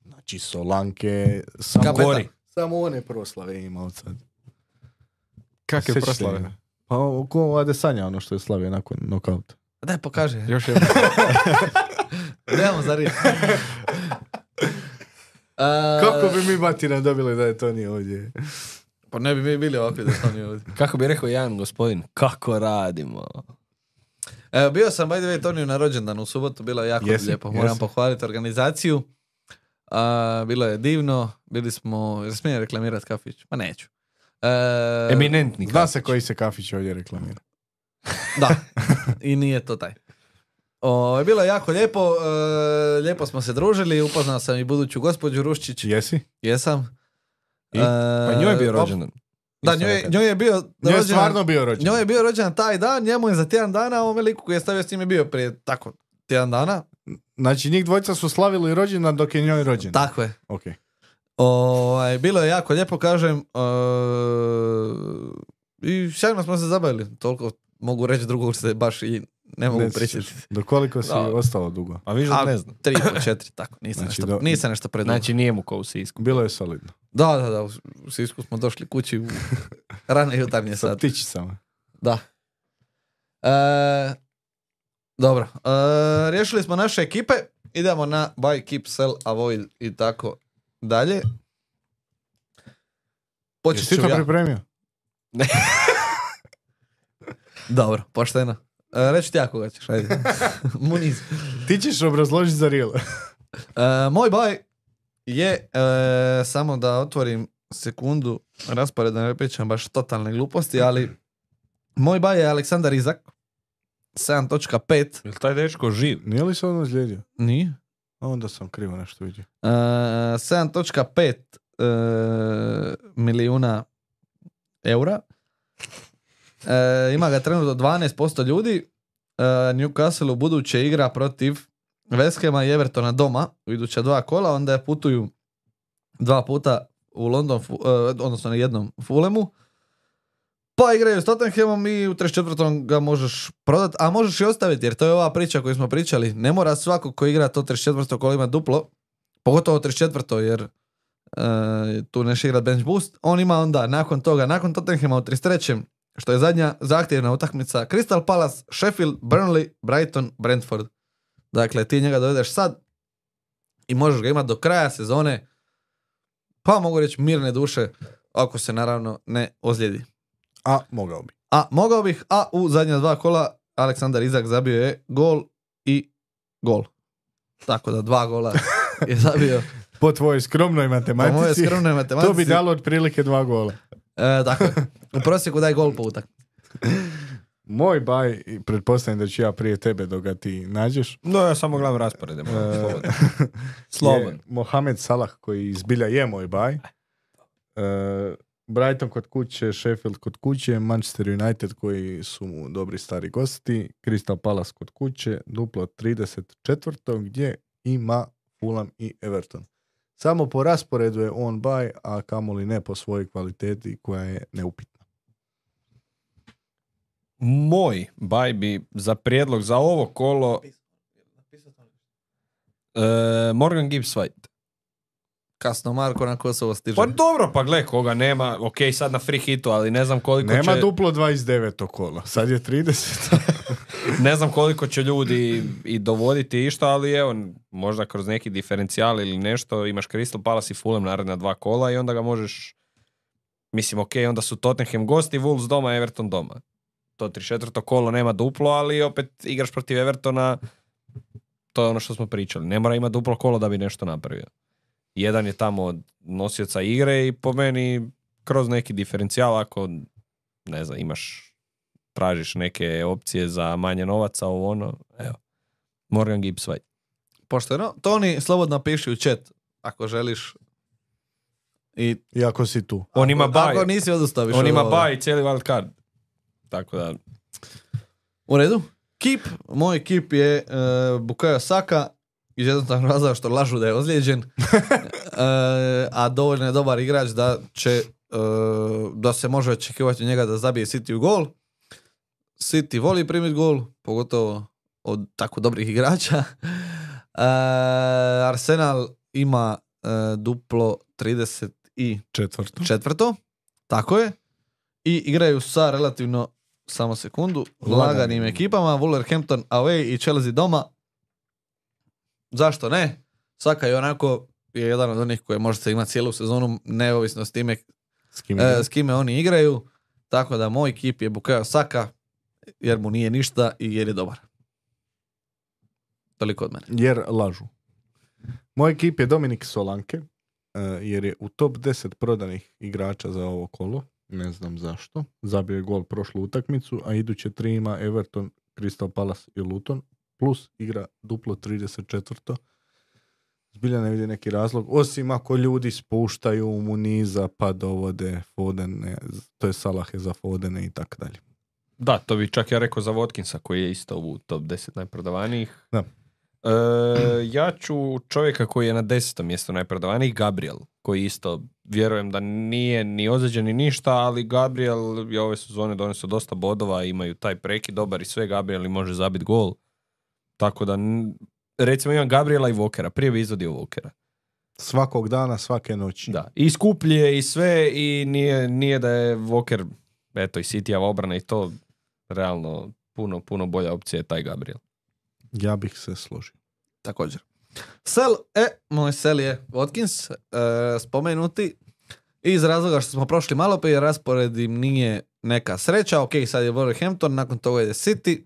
Znači Solanke, samo, Kapetan. gori. Samo one proslave ima od sad. Kakve Sjećate proslave? ih? Pa ko Adesanja, ono što je slavio nakon nokauta. Daj, pokaži. Još je... Nemamo za riječ. Kako bi mi batina dobili da je to nije ovdje? Pa ne bi mi bili ovakvi da smo oni ovdje. Kako bi rekao jedan gospodin, kako radimo? Evo, bio sam, by the way, Toniju na rođendan u subotu, bilo je jako Jesi, lijepo. Moram jesi. pohvaliti organizaciju. A, bilo je divno, bili smo, jer smijem reklamirati kafić? Pa neću. E, Eminentni. Zna kafić. se koji se kafić ovdje reklamira. Da, i nije to taj. O, bilo je jako lijepo, e, lijepo smo se družili, upoznao sam i buduću gospođu Ruščić. Jesi? Jesam. I? E, Pa njoj je bio op- rođendan. Da, Isto njoj, nekad. njoj je bio Njoj je rođendan- stvarno bio rođen. Njoj je bio rođendan taj dan, njemu je za tjedan dana, a ovome liku koji je stavio s njim je bio prije tako tjedan dana. Znači njih dvojica su slavili rođendan dok je njoj rođen. Tako je. Ok. Ovaj, bilo je jako lijepo, kažem. Uh, I sjajno smo se zabavili. Toliko mogu reći, drugog se baš i ne mogu Ne sjećaš. prisjetiti. Do koliko si Da. ostalo dugo? A vi A, ne znam. tri po četiri, tako. Nisam, Znači, nešto, do- nisam nešto predugo. Znači nije mu ko u Sisku. Bilo je solidno. Da, da, da. U, u Sisku smo došli kući u rane jutarnje Sa sat. ptičicama. Da. E, dobro. E, riješili smo naše ekipe. Idemo na buy, keep, sell, avoid i tako dalje. Počet Jesi ću to ja. pripremio? Dobro, pošteno. E, reći ti ja koga ćeš, ajde. Muniz. Ti ćeš obrazložiti za real. E, moj buy je, e, samo da otvorim sekundu raspored, da ne pričam baš totalne gluposti, ali moj buy je Aleksandar Izak. sedam točka pet. Jel taj dečko živ? Nije li se ono zlijedio? Nije. A onda sam krivo nešto vidio. Uh, sedam točka pet uh, milijuna eura. Uh, ima ga trenutno dvanaest posto ljudi. Uh, Newcastle u buduće igra protiv West Hama i Evertona doma u iduća dva kola, onda je putuju dva puta u London, uh, odnosno na jednom Fulhamu. Pa igraju s Tottenhamom i u trideset četvrtom ga možeš prodati, a možeš i ostaviti, jer to je ova priča koju smo pričali. Ne mora svako ko igra to trideset četvrto kolo ima duplo, pogotovo trideset četvrto jer uh, tu neš igra bench boost. On ima onda nakon toga, nakon Tottenhama u trideset trećem što je zadnja zahtjevna utakmica, Crystal Palace, Sheffield, Burnley, Brighton, Brentford. Dakle, ti njega dovedeš sad i možeš ga imati do kraja sezone, pa mogu reći mirne duše, ako se naravno ne ozlijedi. A, mogao bi. A mogao bih, a u zadnja dva kola Aleksandar Izak zabio je gol i gol. Tako da dva gola je zabio. Po tvojoj skromnoj Po matematici, moje skromnoj matematici. to bi dalo otprilike dva gola. E, tako je. U prosjeku daj gol po utak. Moj baj, i pretpostavljam da ću ja prije tebe dok ga ti nađeš, No, ja samo gledam rasporede. Slobodno. je Slobodno. Mohamed Salah koji izbilja je moj baj. E, Brighton kod kuće, Sheffield kod kuće, Manchester United koji su mu dobri stari gosti, Crystal Palace kod kuće, duplo trideset četvrto gdje ima Fulham i Everton. Samo po rasporedu je on baj, a kamoli ne po svojoj kvaliteti koja je neupitna. Moj baj bi za prijedlog za ovo kolo e, Morgan Gibbs White. Kasno Marko na Kosovo stiže. Pa dobro, pa gle, koga nema, ok, sad na free hitu, ali ne znam koliko Nema će... duplo dvadeset devet kola, sad je trideset. Ne znam koliko će ljudi i dovoditi išta, ali evo, možda kroz neki diferencijal ili nešto, imaš Crystal Palace i Fulham naredna dva kola i onda ga možeš, mislim, ok, onda su Tottenham gosti, Wolves doma, Everton doma. To trideset četvrto kolo nema duplo, ali opet igraš protiv Evertona, to je ono što smo pričali. Ne mora imati duplo kolo da bi nešto napravio. Jedan je tamo od nosioca igre i po meni kroz neki diferencijal, ako ne znam, imaš, tražiš neke opcije za manje novaca, ovo ono, evo, Morgan Gibbs White. Pošteno. Toni, slobodno piši u chat ako želiš. I Iako si tu. On ima ako, baj, ako nisi odustaviš. on ima od- baj i cijeli wild card. Tako da, U redu. Keep. Moj keep je uh, Bukayo Saka. Iz jednostavnog razloga što lažu da je ozlijeđen. uh, a dovoljno je dobar igrač da će uh, da se može očekivati od njega da zabije City u gol. City voli primiti gol, pogotovo od tako dobrih igrača. Uh, Arsenal ima uh, duplo trideset Četvrto. četvrto. Tako je. I igraju sa relativno, samo sekundu, Laganim. laganim ekipama. Wolverhampton away i Chelsea doma. Zašto ne? Saka je onako je jedan od onih koje možete imati cijelu sezonu, neovisno s time S kim e, igra? s kime oni igraju. Tako da moj ekip je Bukayo Saka, jer mu nije ništa i jer je dobar. Toliko od mene. Jer lažu. Moj ekip je Dominik Solanke, uh, jer je u top deset prodanih igrača za ovo kolo. Ne znam zašto. Zabio je gol prošlu utakmicu, a iduće tri ima Everton, Crystal Palace i Luton. Plus igra duplo trideset četiri. Zbilja ne vidi neki razlog. Osim ako ljudi spuštaju Muniza pa dovode Fodene, to je Salahe za Fodene i tako dalje. Da, to bi čak ja rekao za Watkinsa koji je isto u top deset najprodavanijih. Da. E, ja ću čovjeka koji je na desetom mjestu najprodavanijih, Gabriel, koji isto vjerujem da nije ni ozlijeđen ni ništa, ali Gabriel je ove sezone donesao dosta bodova, imaju taj prekid dobar i sve, Gabriel i može zabiti gol. Tako da, recimo imam Gabriela i Walkera, prije bi izvodio Walkera. Svakog dana, svake noći. Da, i skuplje i sve i nije, nije da je Walker, eto i Cityjeva obrana i to realno puno, puno bolja opcija je taj Gabriel. Ja bih se složio. Također. Sel, e, moj sel je Watkins, e, spomenuti iz razloga što smo prošli malo prije, raspored im nije neka sreća. Ok, sad je Wolverhampton, nakon toga je City,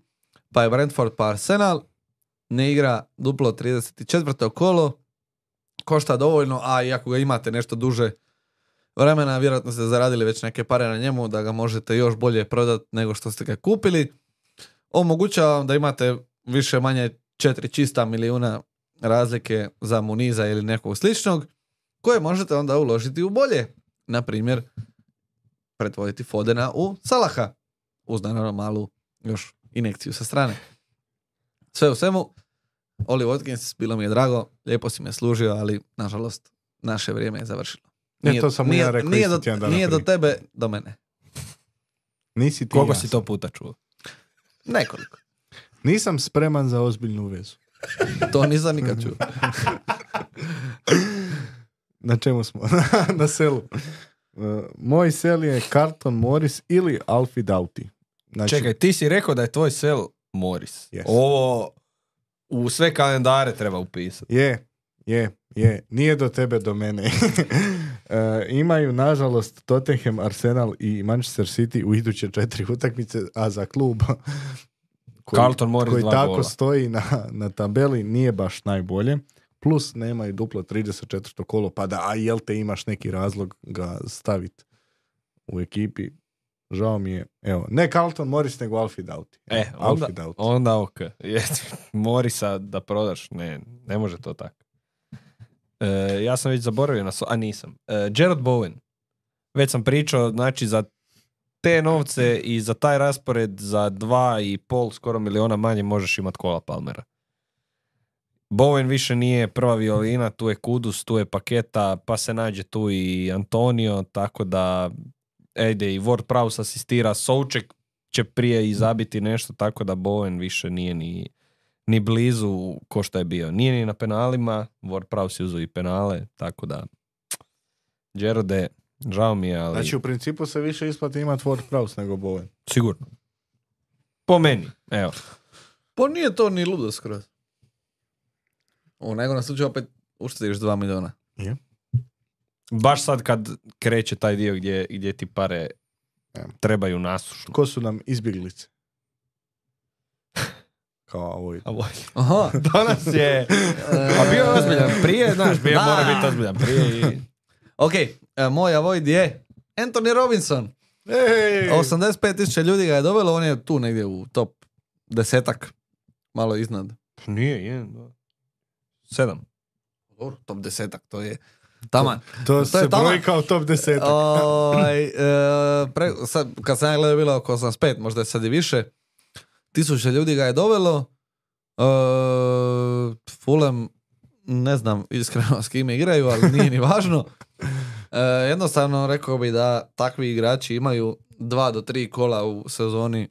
pa je Brentford, pa Arsenal. Ne igra duplo trideset četvrto kolo, košta dovoljno, a i ako ga imate nešto duže vremena, vjerojatno ste zaradili već neke pare na njemu, da ga možete još bolje prodati nego što ste ga kupili. Omogućava vam da imate više manje četiri čista milijuna razlike za Muniza ili nekog sličnog, koje možete onda uložiti u bolje. Na primjer, pretvoriti Fodena u Salaha, uz naravno malu još injekciju sa strane. Sve u svemu, Oli Watkins, bilo mi je drago, lijepo si me služio, ali nažalost naše vrijeme je završilo. Nije, to sam nije, ja rekao nije, isto do, tjedan dana nije do prije. tebe, do mene. Nisi ti Koliko ja si sam. to puta čuo? Nekoliko. Nisam spreman za ozbiljnu vezu. To nisam nikad čuo. Na čemu smo? Na selu. Uh, moj sel je Carlton Morris ili Alfie Doughty. Znači, Čekaj, ti si rekao da je tvoj sel Morris. Yes. Ovo u sve kalendare treba upisati. Je, je, je. Nije do tebe, do mene. uh, imaju, nažalost, Tottenham, Arsenal i Manchester City u iduće četiri utakmice, a za klub koji, Carlton Morris koji dva tako gola. stoji na, na tabeli nije baš najbolje. Plus nemaju duplo trideset četvrto kolo, pa da, a jel te imaš neki razlog ga staviti u ekipi? Žao mi je. Evo, ne Carlton Morris, nego Alfie Doughty. E, onda, Alfie Doughty. onda ok. Je, Morisa da prodaš, ne, ne može to tako. E, ja sam već zaboravio na... So- a nisam. E, Jared Bowen. Već sam pričao, znači za te novce i za taj raspored za dva i pol skoro miliona manje možeš imati Kola Palmera. Bowen više nije prva violina, tu je Kudus, tu je Paketa, pa se nađe tu i Antonio, tako da ejde i Ward Prowse asistira, Souček će prije i zabiti nešto, tako da Bowen više nije ni, ni blizu ko što je bio. Nije ni na penalima, Ward Prowse je uzeo i penale, tako da Gerode, žao mi je, ali Znači, u principu se više isplati imati Ward Prowse nego Bowen. sigurno. Po meni, evo. Pa nije to ni ludo skroz. U najgorem slučaju opet uštediš dva miliona. Je. Baš sad kad kreće taj dio gdje, gdje ti pare Evo. trebaju nasušno. Ko su nam izbjeglice? Kao ovo. A voj. Aha. Danas je... A bio je ozbiljan prije, znaš, bio Da. mora biti ozbiljan prije i... Ok, e, moj avoid je Anthony Robinson. Ej! osamdeset pet tisuća ljudi ga je dovelo, on je tu negdje u top desetak. Malo iznad. Nije, jedan, dva. Sedam. Dobro, top desetak, to je taman. To, To se je taman. broji kao top deset. Ovaj, e, pre, sad, kad sam ja gledao bilo oko osamdeset pet, možda je sad i više. Tisuća ljudi ga je dovelo. E, Fulham, ne znam iskreno s kime igraju, ali nije ni važno. E, jednostavno rekao bi da takvi igrači imaju dva do tri kola u sezoni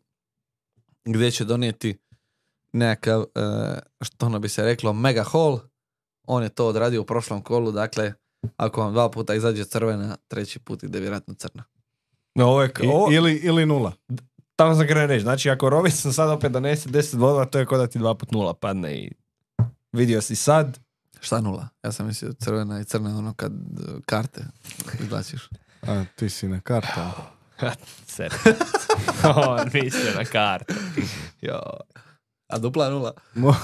gdje će donijeti nekakav, e, što ono bi se reklo, mega haul. On je to odradio u prošlom kolu, dakle, ako vam dva puta izađe crvena, treći put ide vjerojatno crna. No, ovo je... I, Ovo, ili, ili nula. tamo sam krenuo reći, znači ako Robinson sad opet donese deset bodova, to je kao da ti dva put nula padne i vidio si sad. Šta nula? Ja sam mislio crvena i crna ono kad uh, karte izbaciš. A, ti si na karta. Ser. On mislio na kartu. Jo. A dupla nula. Mo-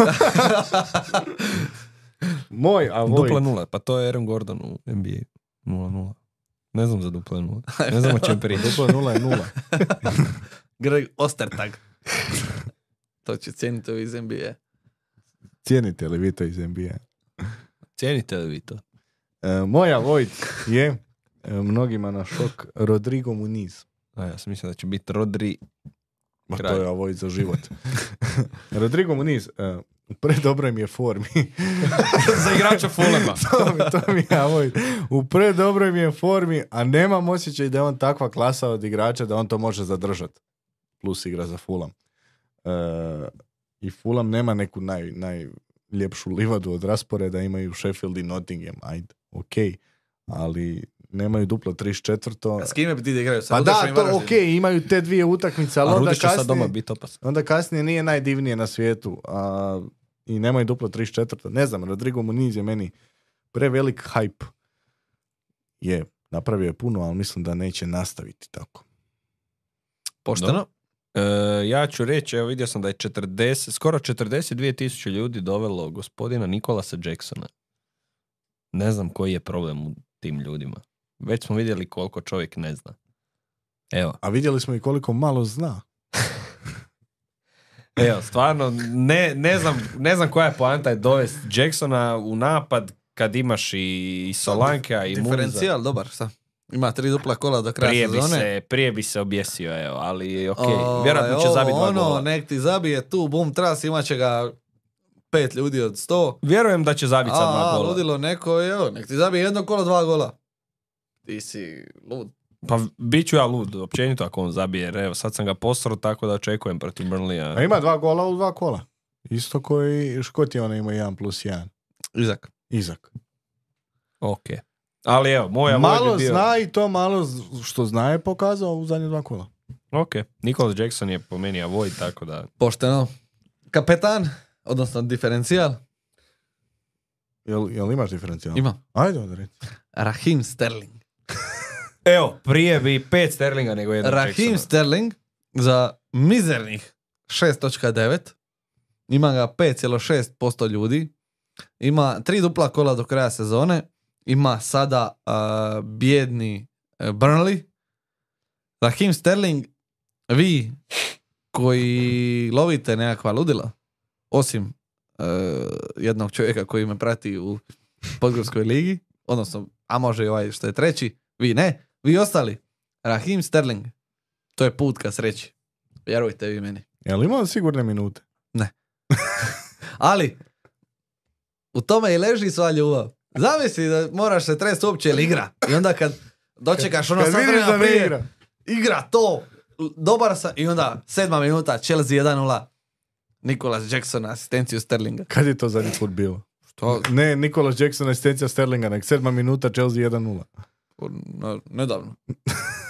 Moj, a Vojt. Dupla nula, pa to je Aaron Gordon u N B A. Nula nula. Ne znam za dupla nula. Ne znam o čem priča. Dupla nula je nula. Greg Ostertag. To će cijeniti ovi iz N B A. Cijenite li vi to iz N B A? Cijenite li vi to? E, moja Vojt je e, mnogima na šok Rodrigo Muniz. A ja sam mislio da će biti Rodri. Ma Kralj. to je Vojt za život. Rodrigo Muniz e, u predobroj mi je formi. Za igrača Fulema. to, mi- to mi je Vojt. U predobroj mi je formi, a nemam osjećaj da je on takva klasa od igrača da on to može zadržati. Plus igra za Fulham. E, I Fulham nema neku naj, najljepšu livadu od rasporeda, imaju Sheffield i Nottingham. Ajde, okej. Ali nemaju duplo trideset četiri. A s kime bi ti da igraju? Sa Pa Rudašom da, i to Varaždinom? okej, imaju te dvije utakmice, ali A onda Rudić će sad doma kasnije, biti opasan. onda kasnije nije najdivnije na svijetu. A, I nemaju duplo trideset četiri. Ne znam, Rodrigo Muniz je meni prevelik hype. Je, napravio je puno, ali mislim da neće nastaviti tako. Pošteno. E, ja ću reći, evo vidio sam da je četrdeset, skoro četrdeset dvije tisuće ljudi dovelo gospodina Nikolasa Jacksona. Ne znam koji je problem u tim ljudima. Već smo vidjeli koliko čovjek ne zna. Evo, A vidjeli smo i koliko malo zna. evo, stvarno, ne, ne, znam, ne znam koja je poanta je dovesti Jacksona u napad kad imaš i, i Solankea i Muniza. Diferencijal, dobar, šta? Ima tri dupla kola do kraja Prije bi, sezone. se, prije bi se objesio, evo, ali ok, Ovaj, vjerojatno će ovo, zabiti dva ono, gola. nek ti zabije tu, bum, tras, imat će ga pet ljudi od sto. Vjerujem da će zabiti sad dva A, a, gola. ludilo neko, evo, nek ti zabije jedno kolo, dva gola. Ti si lud. Pa bit ću ja lud, općenito ako on zabije, jer evo, sad sam ga posro, tako da očekujem protiv Burnleya. A ima dva gola u dva kola. Isto koji Škoti ona ima jedan plus jedan. Izak. Izak. Ok. Ali evo, moja Malo Vojt bi bio... zna i to malo z- što zna je pokazao u zadnje dva kola. Ok. Nicholas Jackson je po meni Avoid, tako da... Pošteno. Kapetan, odnosno diferencijal, Jel, jel imaš diferencijal? ima Ajde onda reći. Raheem Sterling. Evo, prije bi pet Sterlinga nego jedan Raheem Jacksona. Sterling za mizernih šest zarez devet. Ima ga pet zarez šest posto ljudi. Ima tri dupla kola do kraja sezone. Ima sada uh, bijedni uh, Burnley. Raheem Sterling, vi koji lovite nekakva ludila, osim uh, jednog čovjeka koji me prati u Podgorskoj ligi, odnosno, a može i ovaj što je treći, vi ne, vi ostali, Raheem Sterling, to je put ka sreći. Vjerujte vi meni. Jel imao sigurne minute? Ali, u tome i leži sva ljubav. Zamisli da moraš se trest uopće ili igra. I onda kad dočekaš ono Kad sad vidiš vremena da ne prije, igra. igra to, dobar sam, i onda sedma minuta, Chelsea jedan nula, Nicholas Jackson, asistenciju Sterlinga. Kad je to zadnji put bilo? Što? Ne, Nicholas Jackson, asistencija Sterlinga, nek sedma minuta, Chelsea jedan nula. No, nedavno.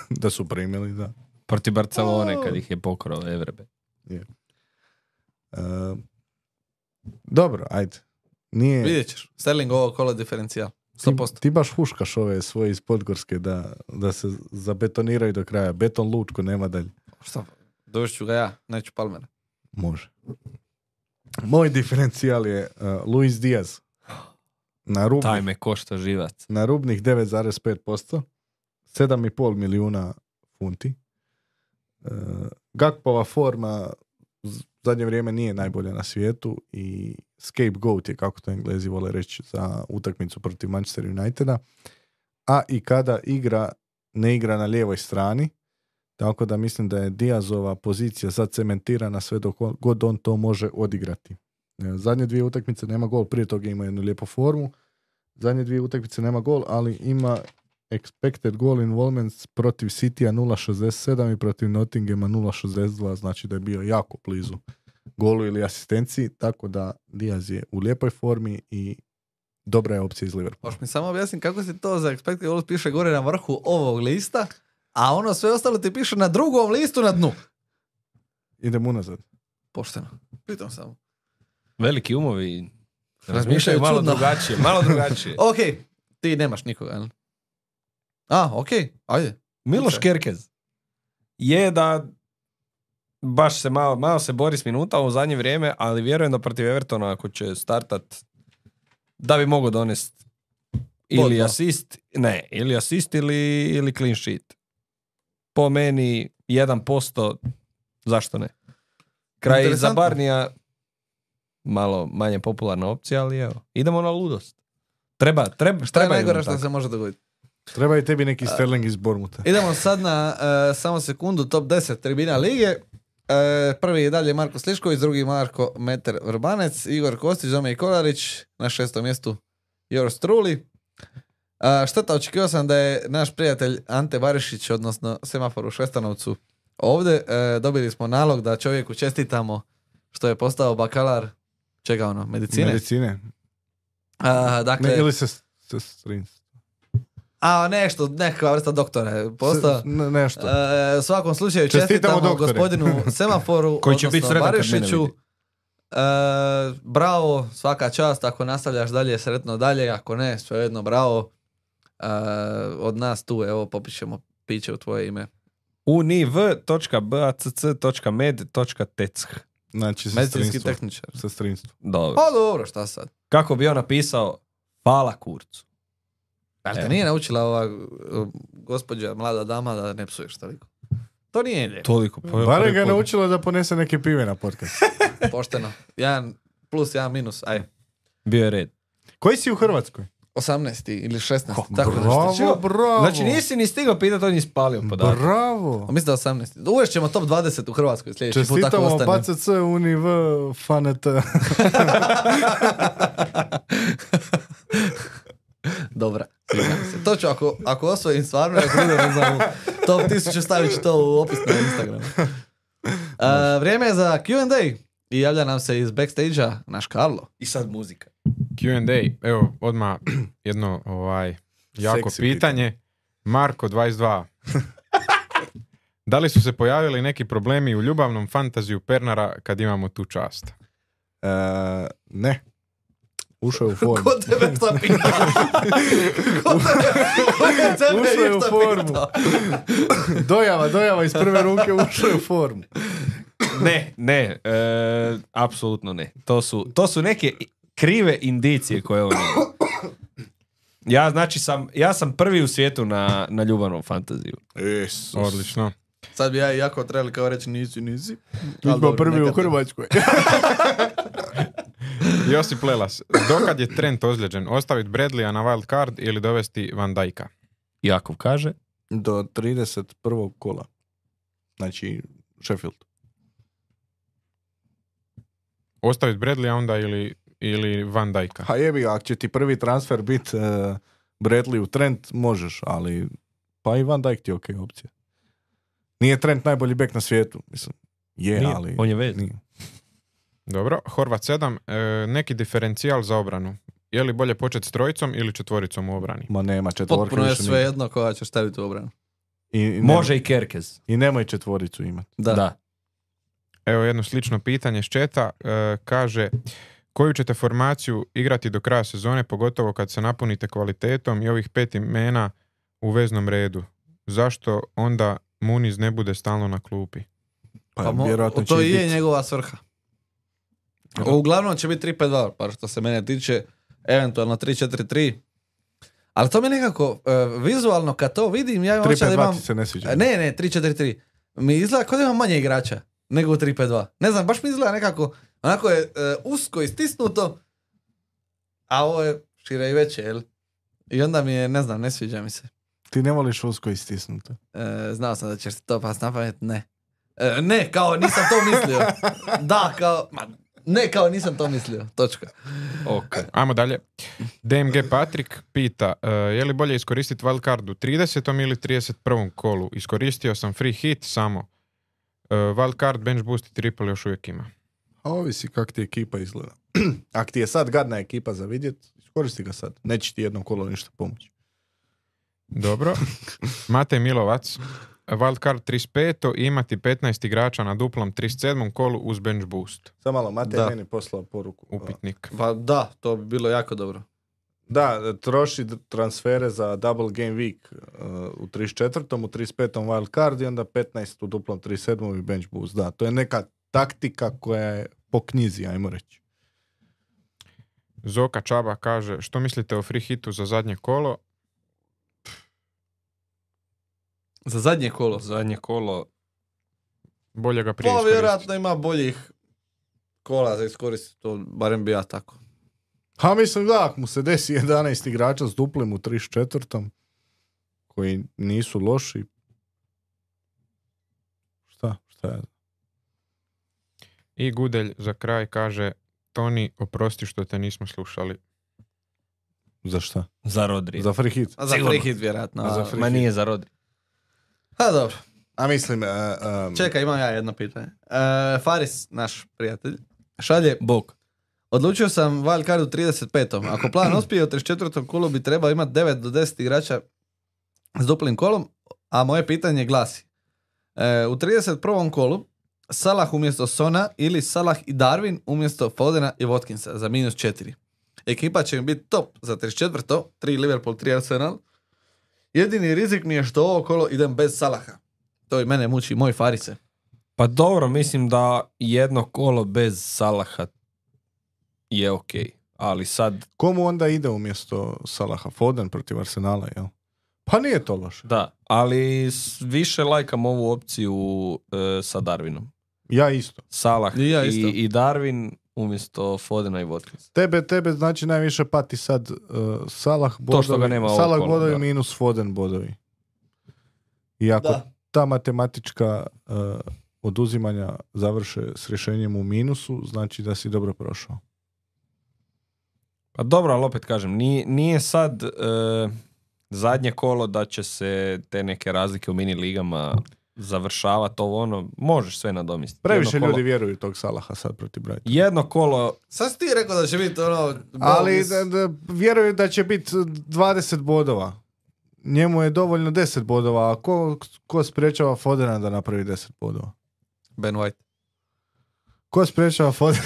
Da su primili, da. Protiv Barcelone kad ih je pokrao Evrebe. Uh, dobro, ajde. Nije... Vidjet ćeš, Sterling ovo kolo diferencijal. sto Ti, posto. ti baš huškaš ove svoje iz Podgorske da, da se zabetoniraju do kraja. Beton Lučko nema dalje. Šta? Dovešću ga ja, neću Palmera. Može. Moj diferencijal je uh, Luis Diaz. Na, rubnih, Taj me košta živac. na rubnih devet zarez pet posto. sedam i pol milijuna funti. Uh, Gakpova forma z- zadnje vrijeme nije najbolja na svijetu i scapegoat je, kako to Englezi vole reći, za utakmicu protiv Manchester Uniteda. A i kada igra, ne igra na lijevoj strani, tako da mislim da je Diazova pozicija sad cementirana sve dok on- god on to može odigrati. E, Zadnje dvije utakmice nema gol, prije toga ima jednu lijepu formu. Zadnje dvije utakmice nema gol, ali ima expected goal involvements protiv Citya nula zarez šezdeset sedam i protiv Nottinghama nula zarez šezdeset dva, znači da je bio jako blizu golu ili asistenciji, tako da Diaz je u lijepoj formi i dobra je opcija iz Liverpoola. Možeš mi samo objasniti kako se to za expected goals piše gore na vrhu ovog lista, a ono sve ostalo ti piše na drugom listu na dnu. Idemo unazad. Pošteno. Pitam samo. Veliki umovi Razmišljaju razmišljaju malo čudno. drugačije. Malo drugačije. Ok, ti nemaš nikoga, jel? A, okej, ajde. Miloš Ok. Kerkez je da baš se malo, malo se bori s minuta u zadnje vrijeme, ali vjerujem da protiv Evertona ako će startat da bi mogao donest ili Bod, asist, ne, ili asist ili, ili clean sheet. Po meni jedan posto, zašto ne? Kraj Interesantno. za Barnija malo manje popularna opcija, ali evo, idemo na ludost. Treba, treba, Šta je treba najgore jednom što tako. se može dogoditi? Treba i tebi neki Sterling iz Bormuta. Idemo sad na uh, samo sekundu top deset tribina lige. Uh, prvi je dalje Marko Slišković, drugi Marko Meter Vrbanec, Igor Kostić, Zomej Kolarić, na šestom mjestu yours truly. Uh, šteta, očekivao sam da je naš prijatelj Ante Barišić, odnosno Semafor u Šestanovcu, ovdje. Uh, dobili smo nalog da čovjeku čestitamo što je postao bakalar, čega ono, medicine? Medicine. Uh, dakle, Ne, ili se sestrinstvo. a nešto, neka vrsta doktora je postao. Se- ne- nešto. E, u svakom slučaju Čestitamo, čestitamo doktore. gospodinu Semaforu, Koji će biti odnosno sretan kad mene Barišiću. vidi. E, bravo, svaka čast, ako nastavljaš dalje, sretno dalje, ako ne, svejedno bravo. E, od nas tu, evo, popišemo piće u tvoje ime. univ točka bacc točka med točka teck. Znači, Medicinski sestrinstvo. tehničar. Sestrinstvo. Dobro. Pa dobro, šta sad? Kako bi on napisao hvala kurcu. Jel te Evo. nije naučila ova uh, gospođa, mlada dama, da ne psuješ toliko? To nije lijepo, Toliko. Pa, Barem ga je naučilo da ponese neke pive na podcast. pošteno. Jedan plus, jedan minus, aj. Bio je red. Koji si u Hrvatskoj? osamnaest ili šesnaest, Ko, tako bravo, nešto. bravo. Znači nisi ni stigao pitati, on je ispalio podatak. Bravo. Mislim da osamnaest. Uvest ćemo top dvadeset u Hrvatskoj sljedeći put, tako Čestitamo ostane. P C C, Univ, F N T. Dobra, sviđa mi se. To ću, ako, ako osvojim stvarno, ako bude, ne znam, top tisuću stavit ću to u opis na Instagramu. Uh, vrijeme je za Q and A i javlja nam se iz backstage-a naš Karlo. I sad muzika. Q and A, evo, odmah jedno ovaj, jako Seksi pitanje. Marko dvadeset dva. Da li su se pojavili neki problemi u ljubavnom fantaziju Pernara kad imamo tu čast? E, ne. Ušao je u formu. Ko tebe šta pita? Ko tebe, ko tebe Ušao je u išta formu. pita? Dojava, dojava iz prve ruke ušao je u formu. Ne, ne, e, apsolutno ne. To su, to su neke krive indicije koje on ima. Ja znači sam, ja sam prvi u svijetu na, na ljubavnom fantaziju. Isus. Odlično. Sad bi ja i jako trebali kao reći nisi, nisi. Mi Ali smo dobro, prvi neka u te. Hrvatskoj. Josip Lelas, dokad je Trent ozlijeđen? Ostaviti Bradleya na wild card ili dovesti Van Dijka? Jakov kaže. Do trideset prvog kola. Znači, Sheffield. Ostaviti Bradleya onda ili, ili Van Dijka? Ha jebi ga, ako će ti prvi transfer biti uh, Bradley u Trent, možeš, ali pa i Van Dijk ti je ok opcija. Nije Trent najbolji bek na svijetu, mislim. Je, Nije, ali... on je vez. Nije. Dobro, Horvat sedam, e, neki diferencijal za obranu. Je li bolje početi s trojicom ili četvoricom u obrani? Ma nema, četvorka Potpuno je više sve nije. jedno koja ćeš staviti u obranu. I, i Može nemoj, i Kerkez. I nemoj četvoricu imati. Da. Da. Evo jedno slično pitanje s četa. E, kaže, koju ćete formaciju igrati do kraja sezone, pogotovo kad se napunite kvalitetom i ovih pet imena u veznom redu? Zašto onda Muniz ne bude stalno na klupi? Pa, Pa mo- vjerojatno to će i je biti. njegova svrha. Da. Uglavnom će biti tri pet dva, pa što se mene tiče, eventualno tri četiri tri. Ali to mi nekako, uh, vizualno kad to vidim, ja imam tri osjećaj pet da dva imam... ti se ne sviđa. Ne, ne, tri četiri tri. Mi izgleda kao da imam manje igrača nego u tri pet dva. Ne znam, baš mi izgleda nekako, onako je uh, usko istisnuto, a ovo je šire i veće, jel? I onda mi je, ne znam, ne sviđa mi se. Ti ne voliš usko istisnuto. E, znao sam da ćeš to pas na pamet, ne. E, ne, kao nisam to mislio. Da, kao, ma, ne, kao nisam to mislio, točka. Ok. Ajmo dalje. D M G Patrik pita, e, je li bolje iskoristiti wild card u tridesetom ili trideset prvom kolu? Iskoristio sam free hit samo. E, wild card, bench boost i triple još uvijek ima. A ovisi kak ti ekipa izgleda. Ako ti je sad gadna ekipa za vidjet, iskoristi ga sad. Neće ti jedno kolo ništa pomoći. Dobro. Matej Milovac, wild card trideset pet i imati petnaest igrača na duplom trideset sedmom kolu uz bench boost. Samo malo, Matej Da. meni poslao poruku. Upitnik. Pa da, to bi bilo jako dobro. Da, troši d- transfere za double game week uh, u trideset četvrtom, u trideset petom wild card i onda petnaest u duplom trideset sedmom i bench boost. Da, to je neka taktika koja je po knjizi, ajmo reći. Zoka Čaba kaže, što mislite o free hitu za zadnje kolo? Za zadnje kolo. Zadnje kolo. Bolje ga prije Pa iskoristiti. vjerojatno ima boljih kola za iskoristiti, to barem bi ja tako. Ha, mislim, da, ako mu se desi jedanaest igrača s duplim u trideset četvrtom, koji nisu loši, šta, šta je? I Gudelj za kraj kaže, Toni, oprosti što te nismo slušali. Za šta? Za Rodri. Za free hit. A za Sigurno. free hit vjerojatno. A za A, free Ma hit. nije za Rodri. a dobro. A mislim, uh, um, Čekaj, imam ja jedno pitanje. E, Faris, naš prijatelj, šalje, Bog. odlučio sam wild card u trideset petom. Ako plan uspije u trideset četvrtom kolu bi trebao imati devet do deset igrača s duplim kolom, a moje pitanje glasi. E, u trideset prvom kolu Salah umjesto Sona ili Salah i Darwin umjesto Fodena i Watkinsa za minus četiri. Ekipa će mi biti top za trideset četvrto, tri Liverpool, tri Arsenal. Jedini rizik mi je što ovo kolo idem bez Salaha. To i mene muči, moj Farise. Pa dobro, mislim da jedno kolo bez Salaha je okej. Ali sad, komu onda ide umjesto Salaha? Foden protiv Arsenala, jel? Pa nije to loše. da. Ali s- više lajkam ovu opciju e, sa Darwinom. Ja isto. Salah I ja i, isto. i Darwin umjesto Fodena i Watkins. Tebe, tebe znači najviše pati sad uh, Salah bodovi, što ga nema ovo Salah kolo, bodovi da. minus Foden bodovi. I ako Da. ta matematička uh, oduzimanja završe s rješenjem u minusu, znači da si dobro prošao. Pa dobro, ali opet kažem, nije, nije sad e, zadnje kolo da će se te neke razlike u mini ligama završavati ovo ono, možeš sve nadomjestiti. Previše Jedno ljudi kolo- vjeruju tog Salaha sad protiv Brighton. Jedno kolo, Sad si ti rekao da će biti ono... Ali bonus. da, da, vjeruju da će biti dvadeset bodova. Njemu je dovoljno deset bodova, a ko, ko sprečava Fodena da napravi deset bodova? Ben White. Ko sprečava Fodena?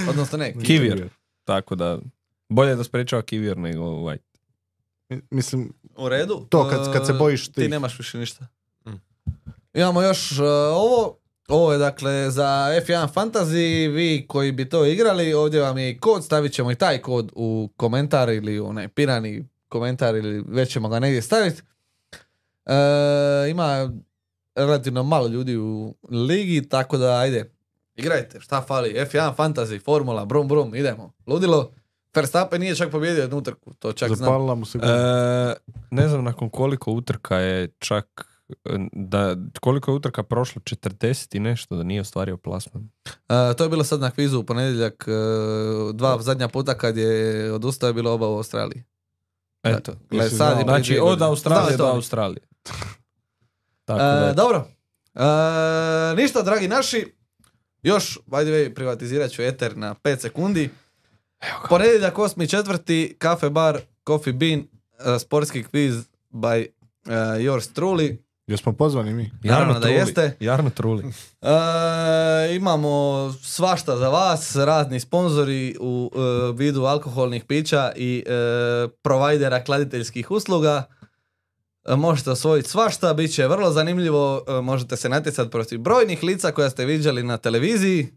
Odnosno ne. Kivir. tako da bolje da sprečava Kivir nego White. Mislim, U redu. to kad, kad se E, bojiš Ti ti. nemaš više ništa. Mm. Imamo još uh, ovo. Ovo je dakle za F jedan Fantasy. Vi koji bi to igrali, ovdje vam je i kod. Stavit ćemo i taj kod u komentar ili u onaj pirani komentar ili već ćemo ga negdje staviti. E, ima relativno malo ljudi u ligi, tako da ajde, igrajte, šta fali, F jedan Fantasy, formula, brum brum, idemo, ludilo. Verstappen nije čak pobjedio jednu utrku, to čak znam. Zapalila mu se guma. E, ne znam nakon koliko utrka je čak da koliko je utrka prošlo, četrdeset i nešto, da nije ostvario plasman. E, to je bilo sad na kvizu u ponedjeljak, e, dva zadnja puta kad je odustao je bilo oba u Australiji. Eto. Gle, Jesi sad znao? i prije Znači dvije od godine. Australije Znao do je to. Australije. Tako E, da, dobro. E, ništa, dragi naši. Još, by the way, privatizirat ću eter na pet sekundi. Ponedjeljak osmi četvrti Cafe Bar, Coffee Bean, uh, sportski quiz by uh, yours truly. Jesmo pozvani mi? Naravno da Truli. jeste. Jarno Truli. E, imamo svašta za vas, razni sponzori u e, vidu alkoholnih pića i e, provajdera kladiteljskih usluga. E, možete osvojiti svašta, bit će vrlo zanimljivo, e, možete se natjecati protiv brojnih lica koja ste viđali na televiziji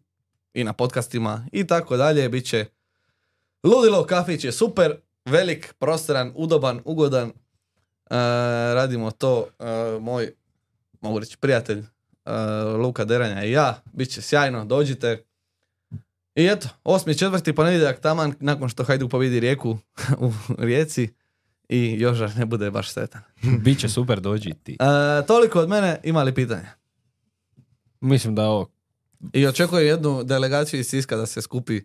i na podcastima i tako dalje, bit će ludilo, kafić je super, velik, prostoran, udoban, ugodan. E, radimo to, e, moj, mogu reći, prijatelj Uh, Luka Deranja i ja, bit će sjajno, dođite. I eto, osmi četvrti ponedjeljak taman nakon što Hajduk pobjedi Rijeku u Rijeci i Joža ne bude baš sretan. Biće super, dođi ti. Uh, toliko od mene, ima li pitanja? Mislim da je ovo. I očekujem jednu delegaciju iz Siska da se skupi.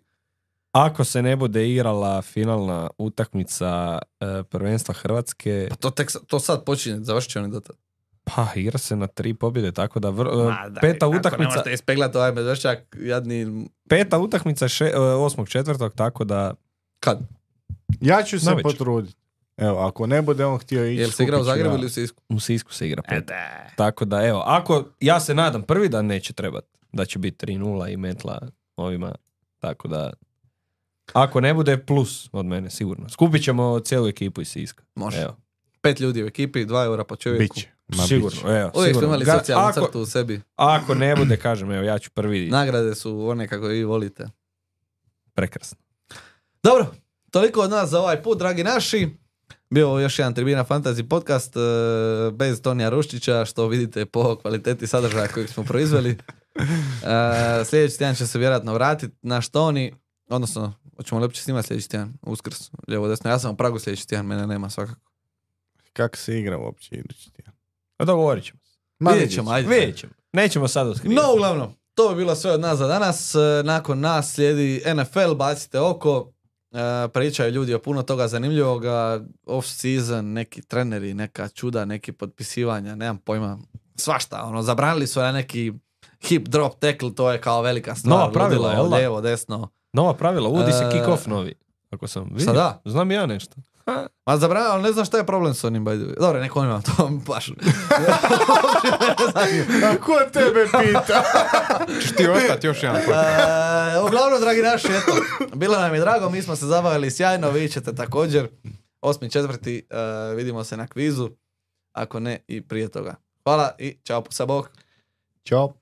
Ako se ne bude igrala finalna utakmica e, prvenstva Hrvatske, Pa to, tek, sa- to sad počinje, završit će oni do tada. pa igra se na tri pobjede, tako da vr, e, Ma daj, peta kako ne utakmica, možete ispeglati ovaj medvešćak, jadni... peta utakmica še, e, osmog četvrtog, tako da Kad? Ja ću se Navečer. potruditi. Evo, ako ne bude on htio ići, Jel se igra u skupit ću Zagrebu ja. ili u Sisku? u Sisku se igra peta. Tako da evo, ako ja se nadam prvi dan neće trebati, da će biti tri nula i metla ovima, tako da Ako ne bude, plus od mene, sigurno. Skupit ćemo cijelu ekipu iz Siska. Može. Evo. Pet ljudi u ekipi, dva eura po čovjeku. Biće. Ma, Sigurno, biće. evo. Uvijek smo sigurno. imali Ga- socijalnu ako, crtu u sebi. ako ne bude, kažem, evo, ja ću prvi. Nagrade su one kako vi volite. Prekrasno. Dobro, toliko od nas za ovaj put, dragi naši. Bio ovo još jedan Tribina Fantasy podcast e, bez Tonija Ruščića, što vidite po kvaliteti sadržaja kojeg smo proizveli. E, sljedeći tjedan će se vjerojatno vratiti naš Toni, odnosno, hoćemo li uopće snimati sljedeći tjedan, Uskrs, lijevo desno. Ja sam u Pragu sljedeći tjedan, mene nema svakako. Kako se igra uopće idući tjedan? A dogovorit ćemo. Ma, Vidjet ćemo, ajde. Vidjet ćemo. Nećemo sad otkrivati. No, uglavnom, to bi bilo sve od nas za danas. E, Nakon nas slijedi N F L, bacite oko. E, pričaju ljudi o puno toga zanimljivoga. Off-season, neki treneri, neka čuda, neki potpisivanja, nemam pojma. Svašta, ono, zabranili su na neki hip drop tackle, to je kao velika stvar. Nova pravila, ludilo, jel da? lijevo, desno. Nova pravila, uvodi se E, kick-off novi. Ako sam vidio. Sada? Znam i ja nešto. Ma zabranili, ali ne znam šta je problem s onim, by the way. Dobro, neko on ima to baš. A ko tebe pita? Češ ti ostati još jedan put? E, uglavnom, dragi naši, eto, bilo nam je drago, mi smo se zabavili sjajno, vi ćete također. Osmi četvrti, e, vidimo se na kvizu, ako ne i prije toga. Hvala i čao, sa bok. Ćao.